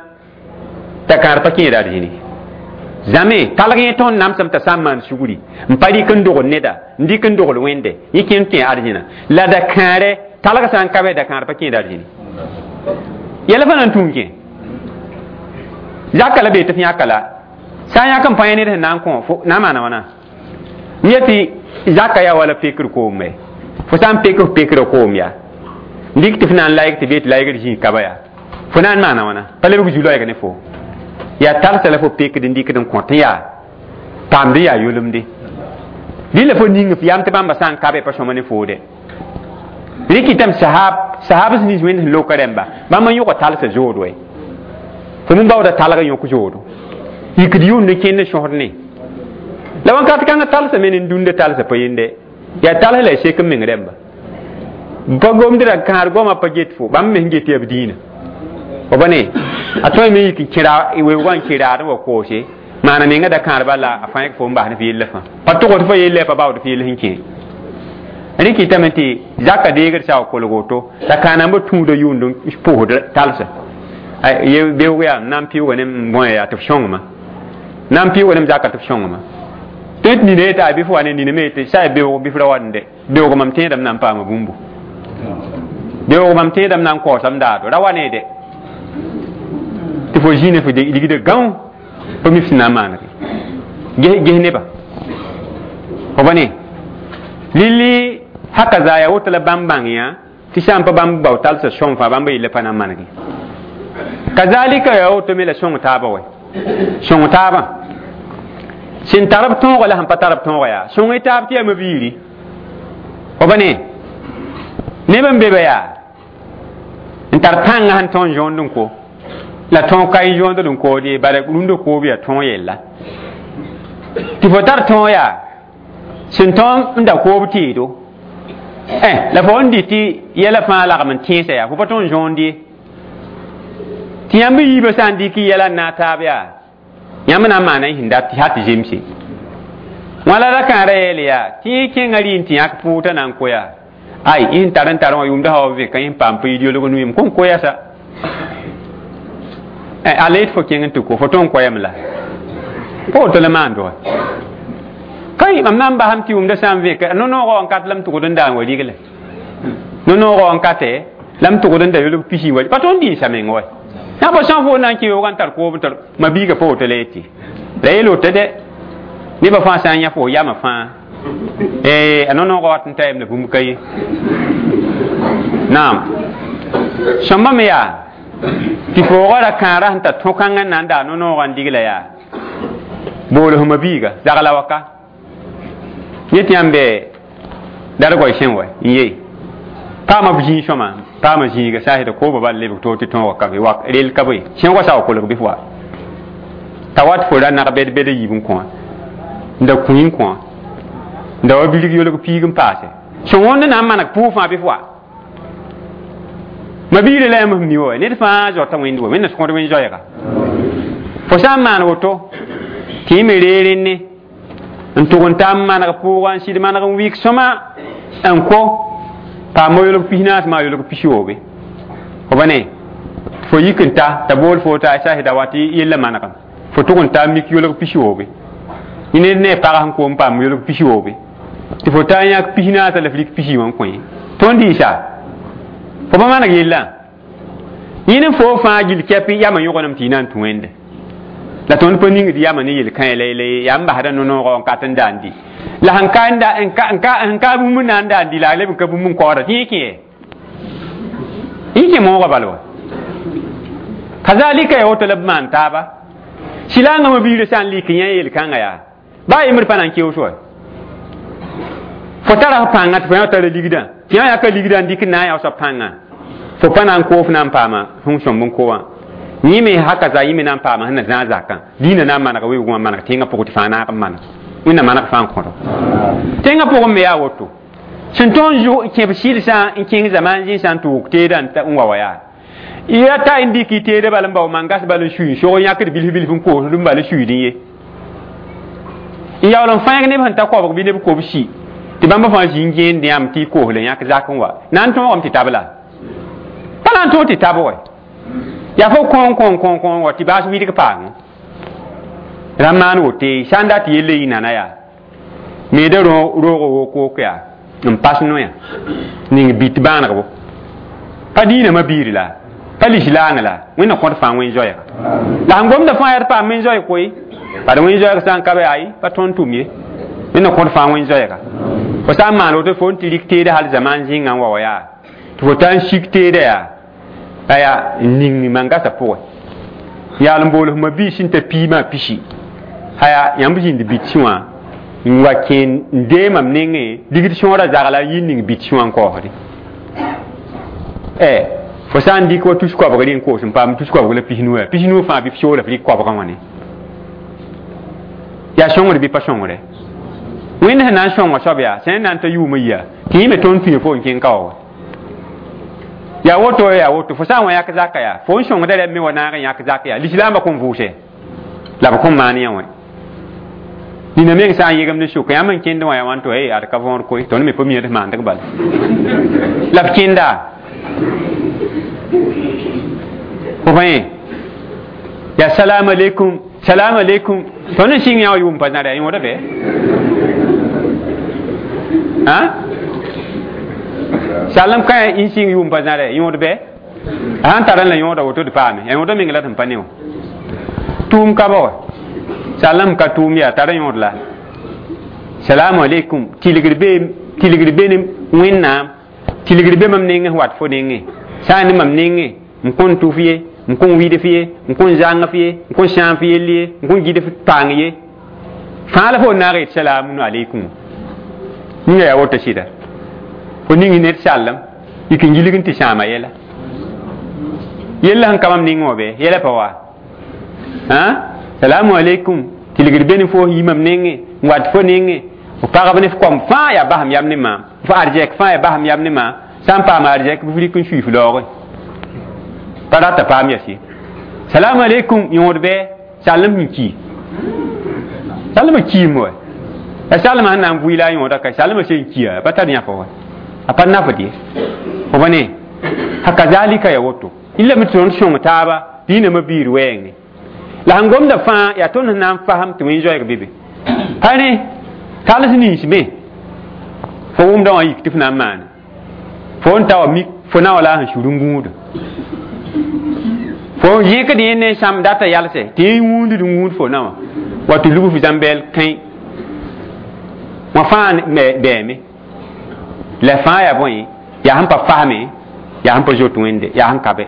t'a kãar pa kẽeda arzẽne zame talg yẽ tõnd namsem t'a sã n maan sugri n pa rɩk n dogl neda n dɩk n dogl wẽnde yẽ kẽnd kẽ arzẽna la da kãare talg sã n ka bɛ da kãar pa kẽeda arzẽne yɛla fã na n tũu kẽ zaka la bee tɩ f yãka la sã n yãk n pa yẽ ned sẽn na n kõ na n maana wãna n yetɩ zaka yaa wala pekr koome fo sã n pek f pekrã koom yaa n dɩk tɩ f na n layg tɩ bee tɩ laygd zĩig kaba yaa fo na n maana wãna pa lebg zu-loɛɛg ne fo yaa talsa la fo pekd n dɩkd n kõt n yaa paamd n yaa yolemde rɩla fo ning f yam tɩ bãmba sã n ka be pa sõma ne foode rɩkɩtame sahab sahab sẽn nins wẽnd sẽn loka rẽmba bãmb n yõga talsa zood wɛ fo min baooda talg n yõk zoodo yikd yʋʋnd n kẽnd n sõsd ne la wãnkat kãngã talsa me ne dũnda talsa pa yende yaa tals la y sek n meng rẽmba pa gomd ra kãar goamã pa get fo bãmb me sẽn get yaa b dĩinã fo ba ne a tõe me yik n kẽ weoogã n kẽ raad n wa koose maana menga da kãarbã la a fãa fo n bas ne f yella fãa pa tʋgd fa yella pa baood f yell sẽn kẽ rɩkɩtame tɩ zaka deegd sa wa kolg woto la kãanambã tũuda yʋʋnd n pʋsd talsa beoog yaa n na n pɩʋʋga ne n bõe yaa tɩ f sõngma na n pɩʋʋga ne m zaka tɩ f sõngma Tɩ nina yeta bɩ fo wa ne nina me yetɩ sa beoog bɩ f ra wat n de beoog mam tẽedame na n paama bũmbu beoog mam tẽedame na n kaoosam daado ra wa ne de tɩ fo zĩine fo ligda gão pa mi f sẽn na n maanege ges ges neba fo ba ne lilli haka za ya woto la bãmb bãng yã tɩ sã n pa bãmb bao talsã sõng fãa bãmb yella pa na n manege kazalika ya woto me la sõng taaba wɛ sõng taabã sẽn tar b tõoga la sẽn pa tar b tõoga yaa sõng y taab tɩ yaa mabiiri fo ba ne neb n be ba yaa n tar pãngã sẽn tõe n zõond n ko la tõog ka n zõond n kood ye bala rũndã koob yaa tõog yella tɩ fo tar tõog yaa sẽn tõe n da koob teedo eh la fo n dɩ tɩ yɛla fãa lagm n tẽesa yaa fo pa tõe n zõond ye tɩ yãmb yiibã sã n dɩk yɛla n naag taab yaa yãmb na n maana y sẽn dat tɩ tɩ zemse wãla ra kãara yeel yaa tɩ yẽ kẽngã rɩ n tɩ yãk pʋʋta na n ko yaa ay y sẽn tar n tar wã yʋmda sã wa vẽka y sẽn paam pa yid yolg nu yem kõn koyasa ala yet fo kẽng n tɩ ko fo tõe n koyame la pa woto la maan dʋga kai mam na n basam tɩ yʋmda sã n vẽka no-noogã n kat la m tʋgd n daan wa rigle no-noogã n kate la m tʋgd n da yolg pisi wa pa tõnd dĩnsa meng wa yã pa sã n fo na n kẽ yoog n tar koob n tar ma biiga pa woto la yetɩ la yeel woto de nebã fãa sã n yã fo yamã fãa a no-noogã wat n ta yem la bũmb ka ye naam sõmba me yaa tɩ foogã ra kãara sẽn tar tõ-kãngã n na n daa no-noogã n digla yaa bool fo biiga zagla waka yet yãmb bɛ dargoy sẽn wa n ye paama b zĩig sõma paama zĩiga sã n kooba bal lebg to tɩ tõoga ka be wa rel ka be sẽoogã sa wa kolg bɩ f wa t'a wat fo ra nag bɛd bɛd a yiib n kõ n da kũi n kõ n da wa bilg yolg piig n paase sẽn wõnd na n maneg pʋʋg fãa bɩ f wa ma biirã la yãmb f mi wa ned fãa zaota wẽnd wa wẽnna sõgd wẽn zoɛɛga fo sã n maan woto tɩ y me ree rẽnne n tʋg n ta n maneg pʋʋga n sɩd maneg n wɩk sõma n ko paam yolg pis naas maa yolg pis-yoobe fo ba ne fo yik n ta t'a bool fo t'a sa da wa tɩ yella manegem fo tʋg n ta mik yolg pis-yoobe ned ne pag sẽn koom paam yolg pis-yoobe tɩ fo ta n yãk pis naasã la f rik pis wã n kõ ye tõnd dɩɩsa fo pa maneg yellã yẽne fo fãa gill kɛp yamã yõgenem tɩ y na n tũ wẽnde la tõnd pa ningd yamã ne yel-kãe la la yaa n basda no-noogã n kat n daan di la sẽn ka n ka bũmb n na n daan di la a leb n ka bũmb n kaooda tɩ yẽ kẽ yẽ kẽ moogã bal wa kazalika ya woto la b maan taaba sɩlaangã mabiirã sã n lik yã yel-kãngã yaa baa yembr pa na n keoos wa fo tara f pãngã tɩ fo yã tara ligdã tɩ yã yaka ligdã n dɩk n na n yaoosã pãngã fo pa na n koos na n paama sẽn sõmb n ko wã yẽ me haka za yẽ me na n paama sẽn na zãag zakã dĩinã na n manega weoogẽ wã maneg tẽngã pʋgẽ tɩ fãa naag n maneg wẽnna maneg fãa n kõdo tẽngã pʋgẽ me yaa woto sẽn tõe n kẽb sɩlsã n kẽng zamaan zĩnsã n tʋʋg teedã n wa wa yaa ya ta n dɩk y teedã bal n bao mangas bal n sui n sog yãkd bilf bilf n koosd n bal n suiidẽ ye n yaool n fãag neb sẽn ta koabg bɩ neb kob si tɩ bãmb fãa zĩ n gẽend yãmb tɩ y koos la yãk zak n wa na n tõogame tɩ tab la pa na n tõog tɩ tab wa yaa fo kõn kõn kõn kõn wa tɩ baas wɩdg paame ra maan wote sã n dat yella yɩ nana yaa meeda roogo wok-wok yaa n pas noya ning bit bãanegbo pa diinã biir la pa lislaang la wẽnna kõt fãa wẽn zoɛɛga la sẽn gomda fãa yaa d paam wẽn zoɛɛg koe bad wẽn zoɛɛg sã n ka be ayi pa tõnd tʋm ye wẽnna kõt fãa wẽn zoɛɛga fo sã n maan woto fo n tɩ rik teeda hal zaman zĩngã n wa wa yaa tɩ fo ta n sik teeda yaa aya n ning mangasa pʋgẽ yaal n bool f ma-biis sẽn ta piimã pisi aya yãmb zĩnd bit sĩ wã n wa kẽ n dee mam nengẽ ligd sõora zagla n yɩ ning bit sĩ wã n kaoosde ɛ fo sã n dɩk wa tus koabg rẽ n koos n paam tus koabg la pis-nu yaa pis-nu fãa bɩ f soola f rɩk koabgã wã ne yaa sõngr bɩ pa sõngre wẽnd sẽn na n sõnga soab yaa sẽn na n ta yʋʋmã yia tɩ yẽ me tõnd tũya fo n kẽng ka wa wa yaa woto yaa woto fo sã n wa yãk zaka yaa fo n sõngda rɛm me wa naag n yãk zak yaa lislaambã kõn vʋʋse la b kõn maan yã wã nina meng sã n yegem ne sʋka yãmb n kẽnd wã yaa wãn to ey ad ka võor koe tõnd me pa mi d maandg bala la b kẽnda fo bãe yaa salam alaikum Salamu alaikum. Tõnd n sɩng yã wã yʋʋm pa zãra yaa yõoda bɛ ã salem ka n sɩng yʋʋm pa zãra yõod bɛ a sãn tar n la yõoda woto d paame yaa yõoda meng la tɩ n pa ne wã tʋʋm ka ba wa salem ka tʋʋm yaa tar yõod la salamu alaikum tilgr be tilgr be ne wẽnnaam tilgr be mam nengẽ wat fo nengẽ sã n ne mam nengẽ n kõn tʋf ye n kõn wɩd f ye n kõn zãng f ye n kõn sãam f yell ye n kõn gid f paang ye fãa la fo naag yet salamun alaikum ninga yaa woto sɩda fo ning ned sallem yik n gilg n tɩ sãama yɛla yella sẽn ka mam nengẽ wã bɩ yɛla pa wa salamu alaikum tilgr be ne fo yi mam nengẽ n wat fo nengẽ f pagb ne f kom fãa yaa basem yam ne maam f arzɛk fãa yaa basem yam ne maam sã n paam arzɛk bɩ f rɩk n sui f laoogẽ pa rata paam yas ye salamu alaikum yõod bɩ sallem sẽn ki sallema kiim wa ya sallema sẽn na n vʋɩ la a yõoda ka sallema sẽn kia pa tar yãfa wa a pa nafd ye fo ba ne hakazalika ya woto illa mi tõnd sõng taaba dĩinã biir wɛɛngẽ la sẽn gomda fãa yaa tõnd sẽn na n fasem tɩ wẽn zoɛɛg be be pa ne tals nins me fo wʋmda wã yik tɩ f na n maane fo n ta wa mik fo na wa la sẽn sũr n gũuda fo yẽkd yẽ ne sãmb data yalsɛ tɩ yẽ wũund n wũud fo na wã wa tɩ lug f zãmbɛɛl kãe wã fãa bɛɛme la fãa yaa bõe yaa sẽn pa fasme yaa sẽn pa zoet wẽnde yaa sẽn ka bɛ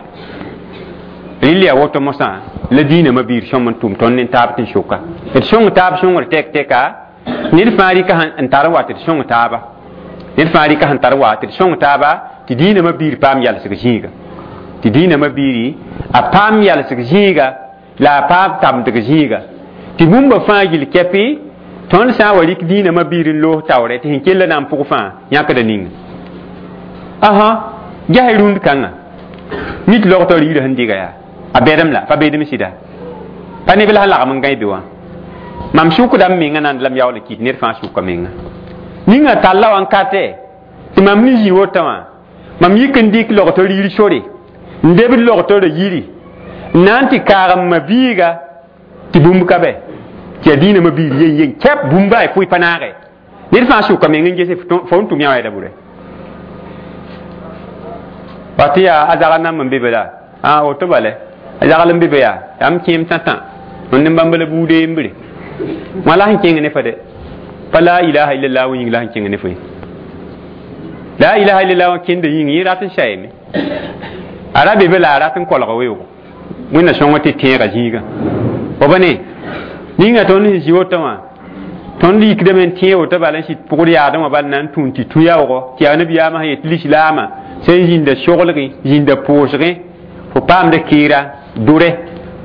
rɩl yaa woto mosã la dĩinã biir sõm n tʋm tõnd ne taab tɩ n soka d sõng taab sõngr tɛk tɛka ned fãa rɩka n tar n wa tɩ d sõng taaba ned fãa rɩka sẽn tar wa tɩ d sõng taaba tɩ dĩinã biir paam yalsg zĩiga tɩ dĩinã biiri a paam yalsg zĩiga la a paam tamdg zĩiga tɩ bũmba fãa gill kɛpɩ tõnd sã n wa rɩk dĩinã biir n loos taoorɛ tɩ sẽn kell na n pʋg fãa yãkda ninga asa ges rũnd kãnga nit logtɔ riirã sẽn diga yaa a bɛdem la pa beedem sɩda pa neb la sẽn lagem n gãe be wã mam sʋkda m menga nand la m yaool n kɩt ned fãa sʋka menga ninga talla wã n katɛ tɩ mam ne zĩ wotã wã mam yik n dɩk logtɔ riir sore n debd logtɔ ra yiri n na n tɩ kaag m ma biiga tɩ bũmb ka bɛ tɩ yaa dĩinã biir yen yen kɛp bũmba y pʋɩ pa naagɛ ned fãa sʋka meng n gese fo n tʋm yã wɛɛda bʋrɛ wa tɩ yaa a zagl namb n be be la a woto bale a zagl n be be yaa yaa m kẽem tã-tã tõnd ne bãmb la buude yembre wã la sẽn kẽng ne fa de pa la ilaha illallah wã yĩng la sẽn kẽng ne fo ye la ilaha illallah wã kẽnda yĩng yẽ rat n sayame a ra be be la a rat n kolga weoogo wẽnna sõng tɩ tẽega zĩigã fo ba ne ninga tõnd sẽn zĩ woto wã tõnd yikdame n tẽ woto bala n sɩd pʋgd yaadẽ wã bal na n tũun tɩ tũ yaoogo tɩ yaa nabiyaamã sẽn yet lislaamã sẽn zĩnda soglgẽ zĩnda pʋʋsgẽ fo paamda keera dʋrɛ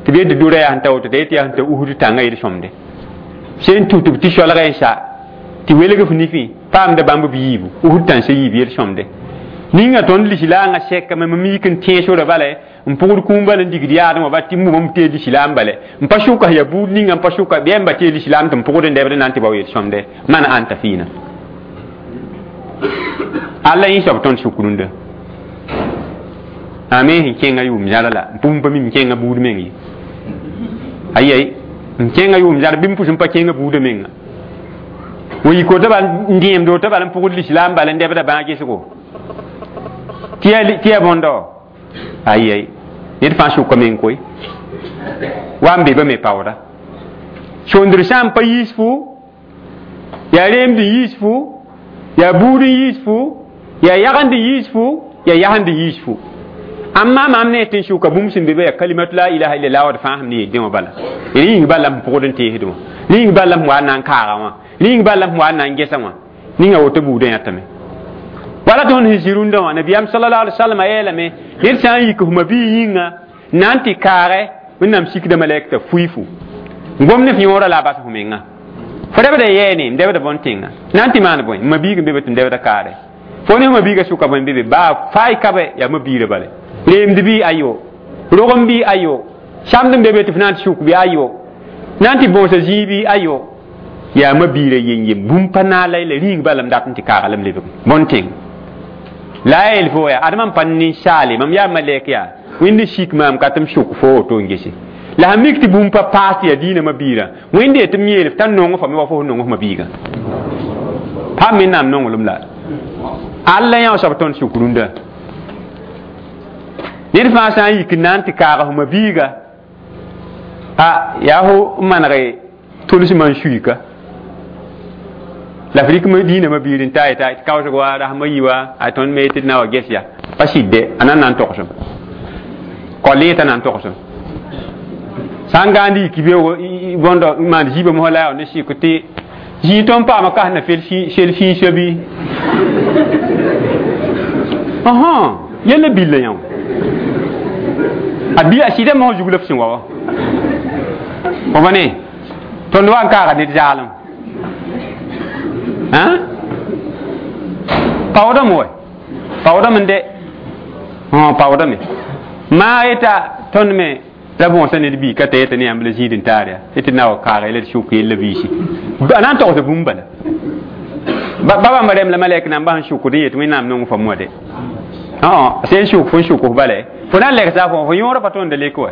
tɩ b yet dʋrɛ yaa sẽn ta woto t'a yet yaa sẽn ta usd tãngã yel sõmde sẽn tũ tɩ b tɩ soalgã n sa tɩ welg f nifẽ paamda bãmb b yiibu usd tãnsã yiib yel sõmde ninga tõnd lislaangã sɛkame mam yik n tẽ sora bala n pʋgd kũum bala n digd yaadẽ wã ba tɩ m tee lislaam bale n pa sʋka ya buud ninga n pa sʋka bɩ yãmba tee lislaam tɩ m pʋgd n dɛbd n na n tɩ bao yel sõmde man ãnta fiina alla yẽ soab tõnd sʋk rũndã a me sẽn kẽngã yʋʋm zãra la n pʋm pa mi m kẽngã buud meng ye ayi n kẽngã yʋʋm zãr bɩ m pʋs n pa kẽngã buudã menga wa yik woto bal n dẽemd woto bal n pʋgd lislaam bal n dɛbda bãag gesgo tɩ yaa bõndo ayi ned fãa sʋka meng koe wa n be ba me paooda sõndr sã n pa yiis fu yaa reemd n yiis fu yaa buud n yiis fu yaa yagend n yiis fu yaa yasend n yiis fu amma maam ne tɩ n sʋka bũmb sẽn be be yaa kalimatu la ilaha illallah wad fãa sẽm ne yeldẽ wã bala rẽ yĩng bala m pʋgd n teesd wã rẽ yĩng bala m wa n na n kaaga wã rẽ yĩng bala m wa n na n gesa wã ninga woto buudã yãtame wala tõnd sẽn zĩ rũndã wã nabiyaam sallallahu alaihi wasallam a yeelame ned sã n yik f ma-biig yĩnga na n tɩ kaagɛ wẽnnaam sikda malɛk t'a fuifu n gom ne f yõora la a bas f menga fo dɛbda yɛɛne n dɛbda bõn-tẽnga na n tɩ maan bõe ma-biig n be be tɩ n dɛbda kaarɛ fo ne f ma-biigã sʋka bõe n be be baa faay ka bɛ yaa ma-biirã bale reemd bɩ ayo rogem bɩ ayo sãmd n be be tɩ f na n tɩ sʋk bɩ ayo na n tɩ bõosa zĩig bɩ ayo yaa ma-biirã yen-yen bũmb pa naala la rĩing bala m dat n tɩ kaaga la m lebg bõn-tẽng la a yeel fo yaa adma n pa ninsaale mam yaa malɛk yaa wẽnd sik maam ka tɩ m sʋk fo woto n gese La sẽn mik tɩ bũmb pa paas tɩ yaa diinã biirã wẽnde tɩ m yeel t'a nong fo me wa fo sẽn nong f ma-biigã pa wẽnnaam nonglem la alla yã soab tõnd sʋk rũndã ned fãa sã n yik n na n tɩ kaag f ma-biiga a yaa fo n maneg tʋlsmã n suika la f rɩk diinã ma-biir n ta yeta tɩ kaoosg wa rasmã yi wa a tõnd me tɩ d na wa ges ya pa sɩdde a na n na n togsem kol yẽ t'a na n togsem sã n gãand yik beoogo bõndo n maan zibã mosã la yaa ne sɩk tɩ zĩig tõnd paama kas na sel fĩisã bɩ ɔhõ yella billa yã a bi a sɩda mosã zug la f sẽn wa wa fo ba ne tõnd wa n kaaga ned zaalem hã paoodame wa paoodame n de paoodame maa yeta tõnd me la bõosa ned bii ka ta yeta ne yãmb la zĩid n taar yaa tɩ na wa kaaga la d sʋk yella biisi a na n togsda bũmb bala ba bãmba rẽm la malɛk namba sẽn sʋkd n yet wẽnnaam nong fo moade sẽn sʋk fo n sʋk f bala fo na n lɛgsa fo fo yõora pa tõnd lek wa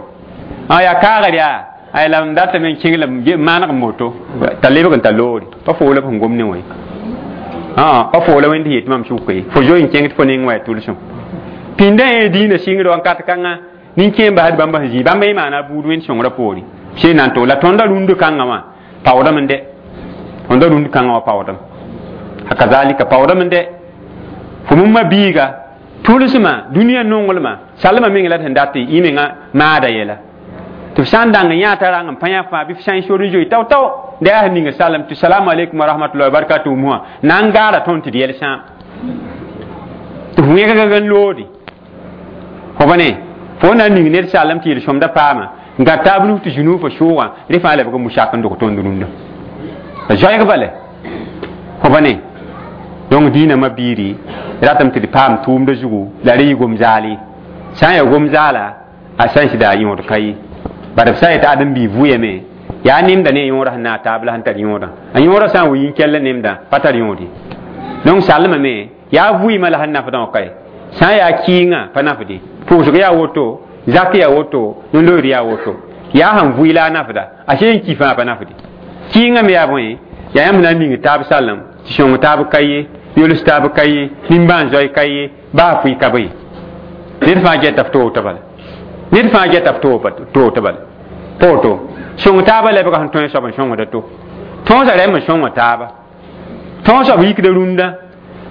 yaa kaagr yaa ay la m datame n kẽng la maaneg moto t'a lebg n ta loore pa fo la f sẽn gom ne wã pa fo la wẽnd yet mam sʋka ye fo zoe n kẽng tɩ fo neng wa yaa tʋlsem pĩndã yẽ diinã sɩngd wakat kãngã nin-kẽem basd bãmba sẽn zĩ bãmba yẽ maana buud wẽnd sõngrã poore sẽn na n tog la tõndã rũnd kãngã wã paoodame n dɛ tõndã rũnd kãngã wã paoodame kazalika paoodame n dɛ fo mumma biiga tʋlsmã dũniyã nonglmã salmã meng la d sẽn dat y menga maada yɛla tɩ f sã n dãng n yã t'a rang n pa yã fãa bɩ f sã n sor n zoe tao-tao da yaa sẽn ninga salem tɩ salamu aleykum wa rahmatullahi wa barakatuhu mosã na n gaara tõnd tɩ d yɛl sãam tɩ f wẽgg n loode fo ba ne fo na n ning ned salem tɩ yel-sõmda paama n gã taab nus tɩ zũnu fo sʋʋgã rẽ fãa lebg n musak n dog tõnd rũndã a zoɛɛg bale fo ba ne donc diinã ma-biiri ratame tɩ d paam tʋʋmdã zugu la rẽ yɩ gom-zaal ye sã n yaa gom-zaala a sã n sɩda a yõod ka ye bad b sã n yetɩ ãdem-biig vʋyame yaa nemda ne a yõodã sẽn na a taab la sẽn tar yõodã a yõodã sã n wa yĩn-kell nemdã pa tar yõod ye donc salmame yaa vʋɩɩmã la sẽn nafdã wã ka ye sã n yaa kɩɩngã pa nafde pʋʋsg yaa woto zak yaa woto no-loeer yaa woto yaa sẽn vʋɩ la a nafda a sẽn ki fãa pa nafde kɩɩngã me yaa bõe yaa yãmb na n ning taab salem tɩ sõng taab ka ye yols taab ka ye nimbãan zoe ka ye baa fʋɩ ka be ned fãa gɛta f toog tɩ bala ned fãa gɛta f toog tɩ bala pa woto sõng taabã lebga sẽn tõe soab n sõngda to tõosã rɛm n sõnga taaba tõog soab yikda rũndã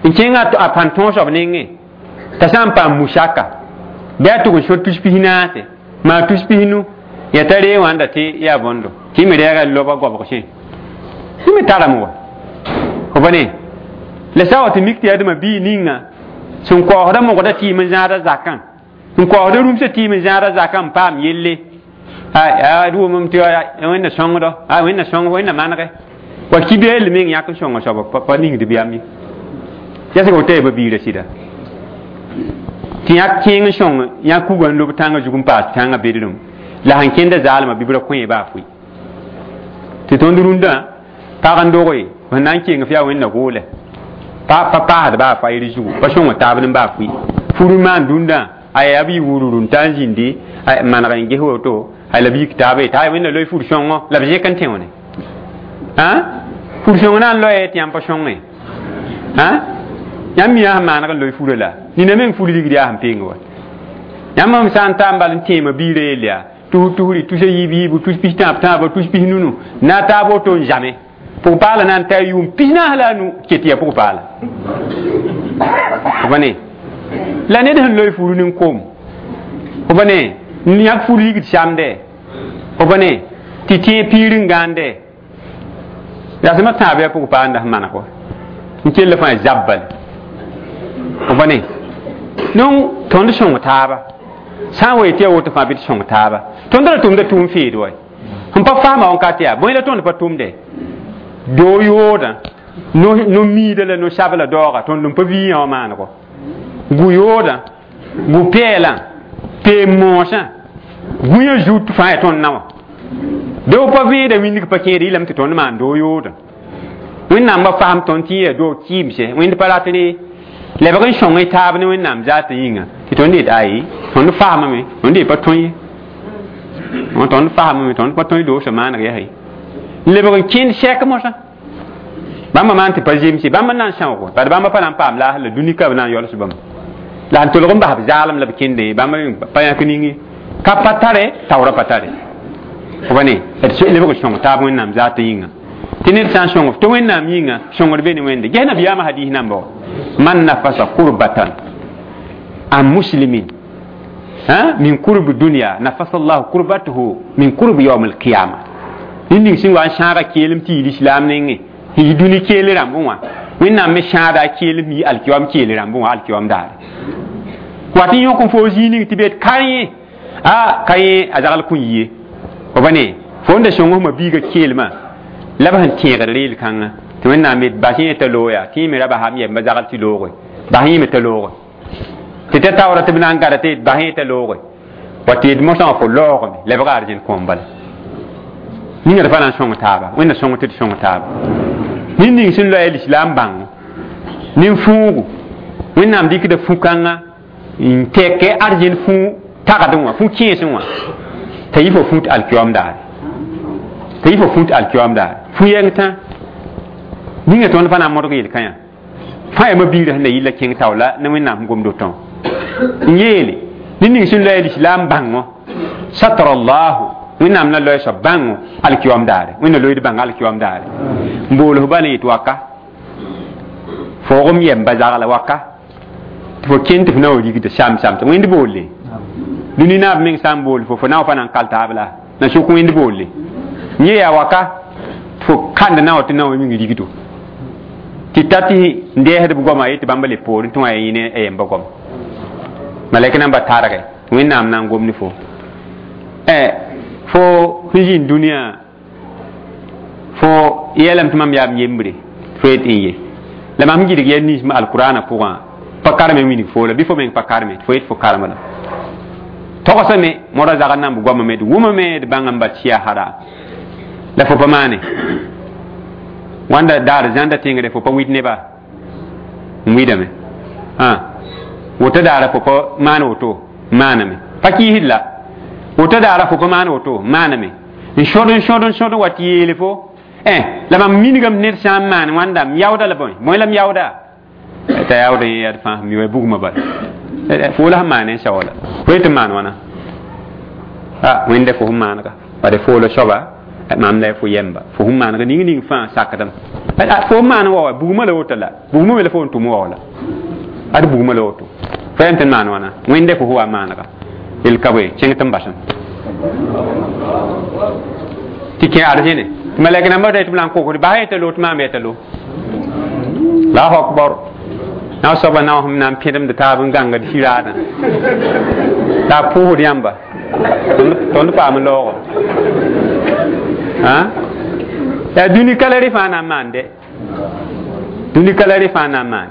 n kẽng a pãn tõog soab nengẽ t'a sã n paam musaka bɩ a tʋg n sor tus pis naase maa tus pis-nu ya t'a ree wãnda tɩ yaa bõndo tɩ me reega loba goabg sẽ tɩ me tarame wa fo pa ne la sã wa tɩ mik tɩ yaa dẽma bii ninga sẽn kaoosda mogda tɩɩm n zãada zakã sẽn kaoosda rũmsã tɩɩm n zãada zakã n paam yelle d wʋmem tɩ wẽnna sõngdo wẽnna sõng wẽnna manege wa kibeel meng yãk n sõnga soaba pa ningd bɩ yam ye yɛsg woto yaa ba-biirã sɩda tɩ yãk kẽeng n sõng yãk kuga n lob tãngã zug n paas tãngã bedrem la sẽn kẽnda zaalmã bɩ b ra kõ baa fʋɩ tɩ tõnd rũndã pag n doge sẽn na n keng f yaa wẽnna goolɛ pa pa paasd baa fayr zugu pa sõng taab ne baa fʋɩ fur n maan dũndã a yaa b yɩ wururu n ta n zĩndi maneg n ges woto la b yik taaba t'a wẽnna loe fur sõngo la b zẽk n tẽone fur sõng na n loe tɩ yãmb pa sõnge yãmb mi yaa sẽn maaneg n loe furã la nina meng fur ligd yaa sẽn peng wa yãmb m sã n ta n bal n tẽema biirã yell yaa tus tusri tus a yiib yiibu tus pis tãab tãaba tus pis nunu na taab woto n zame pʋg paala na n ta yʋʋm pis naas la a nu ket yaa pʋg paala fo ne la ned sẽn loe furu nin-koom fo pa ne yãk fur ligd samde fo pa ne tɩ tẽeg piir n gãande rasmã tãab yaa pʋg paanda sẽn maneg wa n kell fãa zab bal fo pa ne donc tõnd sõng taaba sã n wa yetɩ yaa woto fãa bɩ tɩ sõng taaba tõnd ra tʋmda tʋʋm feed wa sẽn pa faama wãnkat yaa bõe la tõnd pa tʋmde doo yoodã no-miida la no-sabla daooga tõnd n pa vɩ yã wã maanego gu-yoodã gu-pɛɛlã peem-moosã gũyã zut fãa yaa tõnd na wã doo pa vẽeda wĩndg pa kẽed yɩlame tɩ tõnd maan doo yoodã wẽnnaam ba fasem tõnd tɩ yaa doo kɩɩmse wẽnd pa rat re lebg n sõng y taab ne wẽnnaam zaatã yĩnga tɩ tõnd yet ayi tõnd faamame tõnd ye pa tõe ye Tõnd fasame tõnd pa tõe doosã maaneg yaa n lebg n kẽnd sɛk mosã bãmba maan tɩ pa zemse bãmb n na n sãoogo bad bãmba pa na n paam laasr la dũni ka b na n yols bãmb la n tolg n bas b zaalem la b kẽndẽ bãmb pa yãk ning ye ka pa tare taoorã pa tare f pa ne d lebg n sõng taab wẽnnaam zaatã yĩnga tɩ ned sã n sõng tɩ wẽnnaam yĩnga sõngd be ne wẽnde ges nabiyaamã hadis namba wa man nafasa kurbatan an muslimin min kurbi dunya nafasa llahu kurbatuhu min kurbi yaum alqiyama ned ning sẽn wa n sãaga keelem tɩ yɩ lislaam nengẽ tɩ yɩ dũni keel rãmbẽ wã wẽnnaam me sãada a keelem yɩ alkiyoam keel rãmbẽ wã alkiyoam daare wat n yõk n foo zĩig ning tɩ bet ka yẽ a ka yẽ a zagl kõ yie fo pa ne fo n da sõng fma biiga keelmã la b sẽn tẽegd reel kãngã tɩ wẽnnaam yet bas yẽ t'a looya tɩ yẽ me ra basam yɛmba zagl tɩ looge bas yẽ me t'a looge tɩ t'a taoora tɩ b na n gada tɩ yet bas yẽ t'a looge wa tɩ yet mosã wã fo laoogame lebga argent kõom bala ninga d pa na n sõng taaba wẽnna sõng tɩ d sõng taaba ned ning sẽn loa lislaam bãngo nin-fũugu wẽnnaam dɩkda fu-kãngã n tɛke argent fũ tagdẽ wã fũ kẽesẽ wã t'a yɩ fo fũut alkiyoam daare t'a yɩ fo fũut alkiyoam daare fu-yɛng tã ninga tõnd pa na n modg yel-kãyã fãa yaa mabiirã sẽn da yɩlla kẽng taoola ne wẽnnaam sẽn gomd wotõ n yeele ned ning sẽn loa lislaam bãngo satara allahu wẽnnaam na loe soab bãngo alkiyoam daare wẽnna loeed bãng alkiyoam daare n bool f bala yet waka foogem yɛmba zagla waka tɩ fo kẽnd tɩ f na wa rigda sam sam tɩ wẽnd boolle dũni naab meng sã n bool fo fo na wa pa na n kal taab la na sʋk wẽnd boolle yẽ yaa waka tɩ fo kãnd na wa tɩ na wa ming rigdo tɩ ta tɩ n dɛɛsd b goama yetɩ bãmba le poorẽ tɩ wã yaa yẽ ne a yɛmba goama malɛk namba targe wẽnnaam na n gom ne fo fo sẽn zĩnd dũniyã fo yeelame tɩ mam yaa m yembre fo yet n ye la mam gɩdg yɛl ninsmã alkurana pʋgã pa karme wilg fo la bɩ fo meng pa karme tɩ fo yet fo karme la togsame modã zagr namb goamame d wʋmame d bãng n bat sɩa haram la fo pa maane wãnda daar zãnda tẽngre fo pa wid neba n wɩdame woto daara fo pa maan woto maaname pa kiisd la woto daara fo pa maan woto maaname n sõd n sõd n sõd n wa tɩ yeele fo la mam minigame ned sã n maan wãnda m yaooda la bõe bõe la m yaooda t'a yaood yẽ yaa d fãa mi wa bugmã bala fo la sẽn maan n sao la fo yetɩ maan wãna a wẽnda fo sẽn maanega bade foola soaba mam la fo yɛmba fo sẽn maanega ning ning fãa sakdame fo n maan wa wa bugmã la woto la bugmã me la fo n tʋm wa la ad bugmã la woto fo yãmb tɩ n maan wãna wẽnda fo wa maanega yel ka bõe kẽng tɩ n basem tɩ kẽ arzẽne tɩ malɛk nambã tɩ b na n kokd bas yetã lo tɩ maam yetã lo allahu akbar na soaba na sẽm na n pẽdemd taab n gãngd siraadã la a pʋʋsd yãmba tõnd paam laoogo yaa dũni ka la rẽ fãa na n maan dɛ dũni ka la rẽ fãa na n maan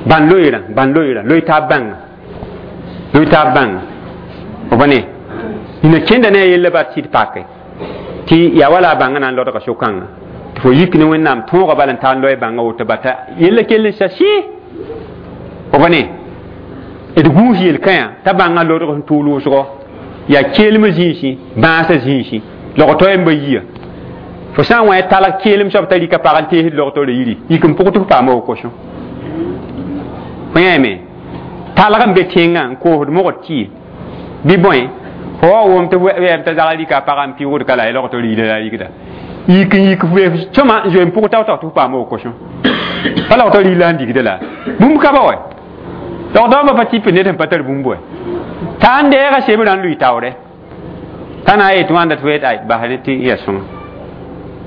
bãn loeerã bãn loeerã loe taab bãnga loe taab bãnga f pa ne nina kẽnda ne a yella bat sɩd pake tɩ yaa wala a bãngã na n lodga so-kãngã tɩ fo yik ne wẽnnaam tõoga bala n taa n loe bãngã woto bata yella kell n sa sɩ f pa ne d gũus yel-kãyã t'a bãngã lodg sẽn tʋʋl wʋsgo yaa keelmã zĩisi bãasã zĩisi log-to yẽmba yia fo sã n wã talg keelem soab t'a rɩka pag n teesd log-toorã yiri yik n pʋg tɩ f paama wokosõ fo yãame talg n be tẽngã n koosd mogd tɩ bɩ bõe fo wa wʋm tɩ wɛɛm t'a zagl rɩka a pagã n pɩʋgd ka la y log-toor yila la a rɩkda yik n yik f sõma n zoe n pʋg tao-tao tɩ f paama wokosõ pa log-toor yila n digda la bũmb ka ba wa log-daombã pa tɩp ned sẽn pa tar bũmb wa t'a n deega sebrã n lʋɩ taoorɛ t'a na n yet wãnda tɩ fo yet ay bas ne tɩ ya sõma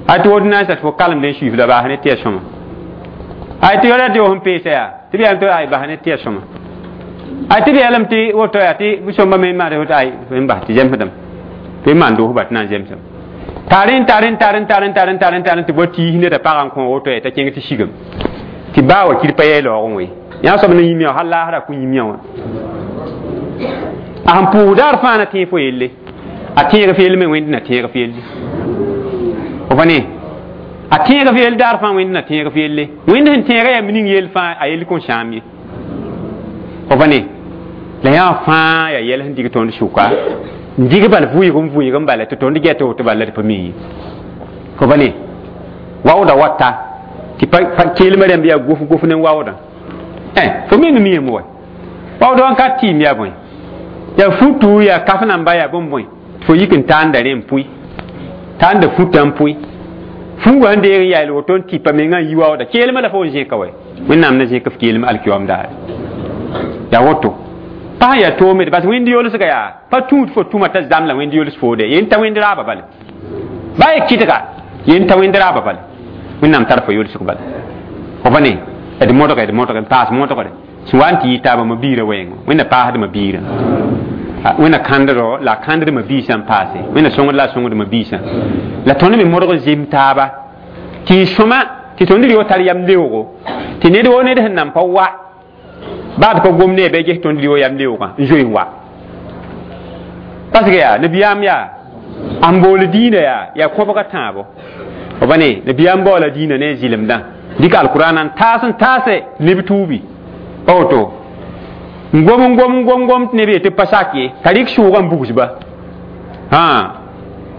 a tɩ wot na n sa tɩ fo kalemd n suif la bas ne tɩ ya sõma ay tɩ yɔra tɩ fo sẽn peesa yaa tɩ b yaa tɩ ay bas ne tɩ ya sõma ay tɩ b yɛlame tɩ woto yaa tɩ sõmba me maan woto ay n bas tɩ zemsdame tɩ b maan doos ba tɩ na n zemsame taren taren taren taren taren taren taren tɩ bo tiis neda pagã n kõ woto yaa t'a kẽng tɩ sigame tɩ baa wa kir pa yɛɛ laoogẽ we yã soab na yĩm yã hal laasra kõ yĩm yã wã a sẽn pʋʋs daar fãa na tẽeg fo yelle a tẽeg f yell me wẽnd na tẽeg f yelle fo pa ne a tẽeg f yell daar fãa wẽnd na tẽeg f yelle wẽnd sẽn tẽega yaa ning yell fãa a yell kõn sãam ye fo pa ne la yã fãa yaa yɛl sẽn dig tõnd sʋka N dig bal vʋɩg n vʋɩg n bala tɩ tõnd gɛt woto bala d pa mi ye. Fo pa ne waooda wata tɩ keelmã rãmb yaa gof gof ne waoodã. Fo meng miame wa waood wã ka tɩɩm yaa bõe, yaa futu, yaa kaf namba, yaa bõn bõe tɩ fo yik n taanda rẽ n pʋɩ, taanda futã n pʋɩ, fuugã sẽn deeg n yael woto n tɩpa mengã n yi waooda keelmã la fo n zẽka wɛ. Wẽnnaam na zẽk f keelm alkiyoam daare. Yaa woto pa sẽn yaa toome bas wẽnd yolsga yaa pa tũud fo tũma t'a zãm la wẽnd yols foode yen ta wẽnd raaba bale ba ye kɩdga yen ta wẽnd raaba bale. Wẽnnaam tar fo yolsg bala fo pa ne d modge d modge n paas modgre sẽn wa n tɩ yɩ taaba ma biirã wɛɛngã. Wẽnna paasdma biirã, wẽnna kãndro la a kãnddma biisã n paase, wẽnna sõngd la a sõngdma biisã la tõnd me modg n zem taaba tɩ y sõma tɩ tõnd rɩ tar yam leoogo tɩ ned woo ned sẽn nan pa wa baa d pa gom ne bɩ ges tõnd rɩ yam leoogã n zoe n wa, parce que yaa nabiyaam yaa n bool diinã yaa yaa kõbga tãabo. Fo pa ne nabiyaam baoola diinã ne zɩlemdã dɩk alkurana n taas n taase neb tuubi pa woto n gom n gom n gom gom tɩ neb yetɩ pa sak ye t'a rɩk sʋʋgã n bugsba,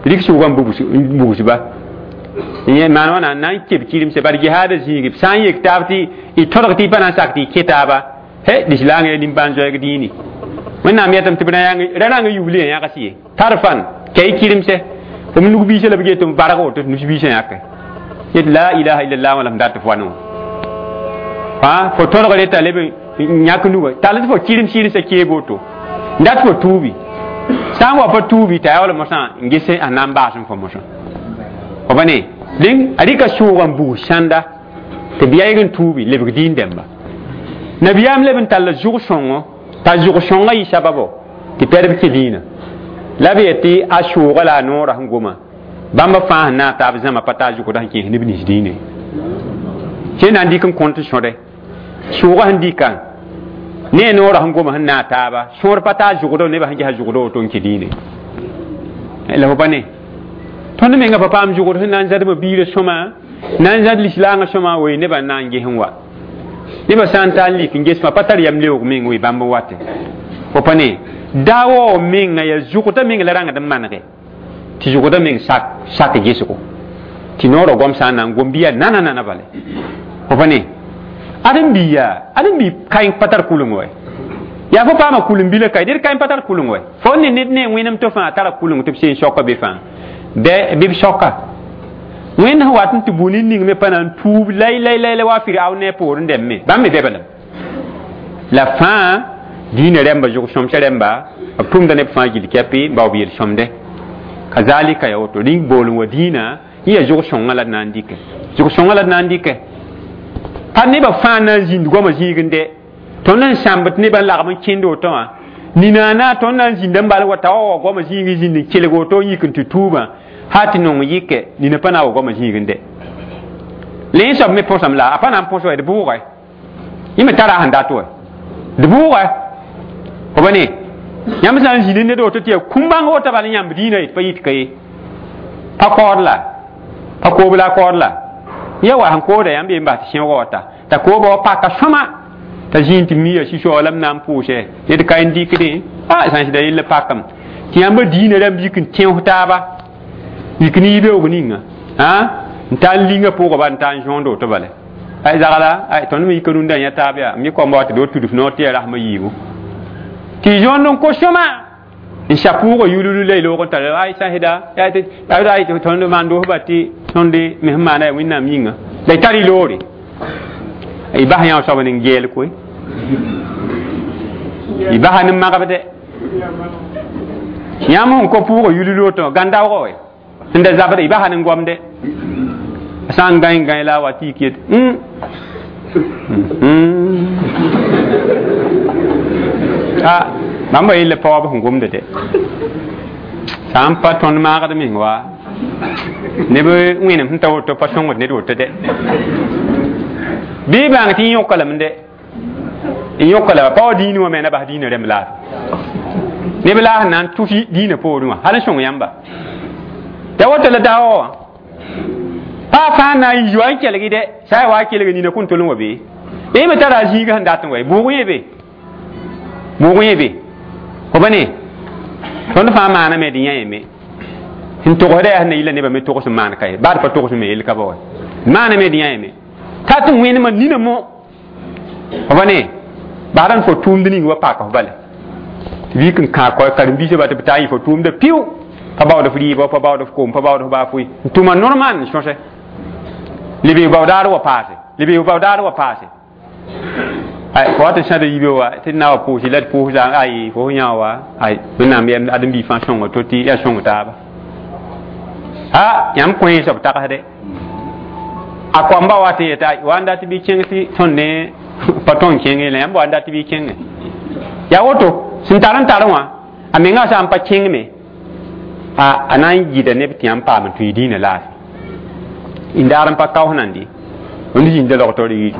rɩk sʋʋgã n bugsba maan wãna n na n keb kɩremse bad jihaada zĩigi sã n yek taab tɩ y tõdg tɩ y pa na n sak tɩ y kẽ taaba he lislaangã ya nimbãan-zoɛɛg dĩini. Wẽnnaam yetame tɩ b ra rãng yubli yã yãgs ye tar fan kɛ y kɩremse f nug biisã la b get n barg woto nus biisã yãke yet la ilaha illallah wã la m dat f wa ne wã fo tõdgre t'a leb n yãk nuga tall tɩ fo kɩrem sɩremsã keeb woto n dat fo tuubi sã n wa pa tuubi t'a yaool mosã n ges a na n baas n fo mosã. Fo pa ne dẽn a rɩka sʋʋg n bugs sãnda tɩ b yaɩg n tuubi lebg diin dẽmba. Nabiyaam leb n tall zʋg sõngo t'a zʋg sõngã yɩ sababo tɩ pɛdb kẽ dĩinã la b yetɩ a sʋʋga la a noorã sẽn goma bãmba fãa sẽn naag taab zãma pa taa zʋgda sẽn kẽes neb nins dĩinã sẽn na n dɩk n kõnt sõde sʋʋgã sẽn dɩka ne a noorã sẽn goma sẽn naag taaba sõor pa taa zʋgdo nebã sẽn ges zʋgdo woto n kẽ dĩinã la fo pa ne tõnd menga pa paam zʋgd sẽn na n zadma biirã sõma na n zad lislaangã sõma wee nebã n na n ges n wa nebã sã n taa n lik n gesmã pa tar yam leoog meng wee bãmb n wate. Fo pa ne daawao menga yaa zʋgda meng la rãngd n manege tɩ zʋgda meng sak sak gesgo tɩ noorã goam sã n na n gom bɩ yaa nana nana bale. Fo pa ne ãdem-bi yaa ãdem-bi kaẽ pa tar kʋleng wɛ yaa fo paama kʋlem-bilã kae ned kaẽ pa tar kʋleng wɛ fo ne ned ne wẽnem tɩ fãa tara kʋleng tɩ b seen soaka be fãa bɩ b soaka wẽnd sẽn wat n tɩ bũ ning me pa na n tuub lay lay lay la wa Firaun ne a poorẽ dẽmbe bãmb me bɛbelem la fãa diinã rẽmba zʋg sõmsã rẽmba b tʋmda neb fãa gill kɛpɩ n bao b yel-sõmde kazalika ya woto rĩng bool n wa diinã yẽ yaa zʋg sõngã la d na n dɩkɛ zʋg sõngã la d na n dɩkɛ pa nebã fãa na n zĩnd goamã zĩigẽ de tõnd n sãmb tɩ nebã n lagm n kẽnd woto wã ninaana tõnd na n zĩnda n bal wa t'a wa wa goamã zĩig zĩnd n kelg woto n yik n tɩ tuubã ha tɩ nong yɩke nina pa na wa goamã zĩigẽ de la yẽ soab me põsame la a pa na n põs wa d bʋʋgɛ yẽ me tara a sẽn dat wa d bʋʋgɛ fo pa ne yãmb sã n zĩnd ned woto tɩ yaa kũm-bãng woto bal yãmb dĩinã yet pa yit ka ye pa kaood la pa koob la a kaood la ya wa sẽn kooda yãmb ye n bas tɩ sẽoogã wata t'a kooba wa paka sõma t'a zĩig tɩ miya sũ-soalam na n pʋʋsɛ ned ka n dɩkdẽ a sã n sɩda yell pakame tɩ yãmba dĩinã rãmb yik n tẽos taaba yik ne yibeoog ninga n taa n linga pʋgã ba n taa n zõond woto bala ay zagla ay tõnd me yika rũndã yã taab yaa m yẽ koamba wa tɩ do tudf noor tɩ yaa rasmã yiibu tɩ zõond n ko sõma n sa pʋʋgã yululu la y loog n tara ay sã sɩda ay tõnd maan doosba tɩ tõnd me sẽn maana yaa wẽnnaam yĩnga la y tar y loore y bas yã soab ning geel koe y basa ne magbde yãmb sẽn ko pʋʋgã yululu woto gãn-daoogã wɛ sẽn da zabda y basa ne gomde sã n gãe gãe la a wa tɩ yik yet a bãmba yella paoab sẽn gomda de sã n pa tõnd maagd meng wa neb wẽnem sẽn ta woto pa sõngd ned woto de bɩ bãng tɩ yõka lame de n yõka la pa wa dĩinã wã me na bas dĩinã rẽmb laafɩ neb la sẽn na n tʋs dĩinã poorẽ wã hal n sõng yãmba ya woto la daoog wã pa fãa na n yi wa n kelg de sã ya wa kelg nina kõn tol n wa be yẽ me tara a zĩigã sẽn dat n wa bʋʋg yẽ be bʋʋg yẽ be fo pa ne Tõnd fãa maaname tɩ yã yeme sẽn togsda yaa sẽn na yɩla nebã me togs n maan ka ye baa d pa togs me yell ka ba wa maaname tɩ yã yeme t'a tɩ wẽnemã nina mo f pa ne baada n fo tʋʋmd ning wa paaka f bala tɩ b yik n kãag karen-biisã ba tɩ b taa yɩ fo tʋʋmda piʋ pa baood f rɩɩbã pa baood f koom pa baood f baa foe n tʋma normal n sõse leb baoodaar wa paase leb baoodaar wa paase ay fo wat n sãd yibe wa tɩ na wa pʋʋsɩ la d pʋʋsda ay fo yã wa ay wẽnnaam yɛm ãdem-biig fãa sõnga to tɩ yaa sõng taaba a yãmb kõ soab tagsde a koamba wa tɩ yeta wa n dat bɩ kẽng tɩ tõnd ne pa tõn kẽnge la yãmb wa n dat bɩ kẽnge yaa woto sẽn tar n tar wã a menga sã n pa kẽngme a a na n yɩda neb tɩ yãmb paam n tũ y dĩinã laafɩ n daar n pa kaoos nandi wẽnd zĩnda log-taoor yiri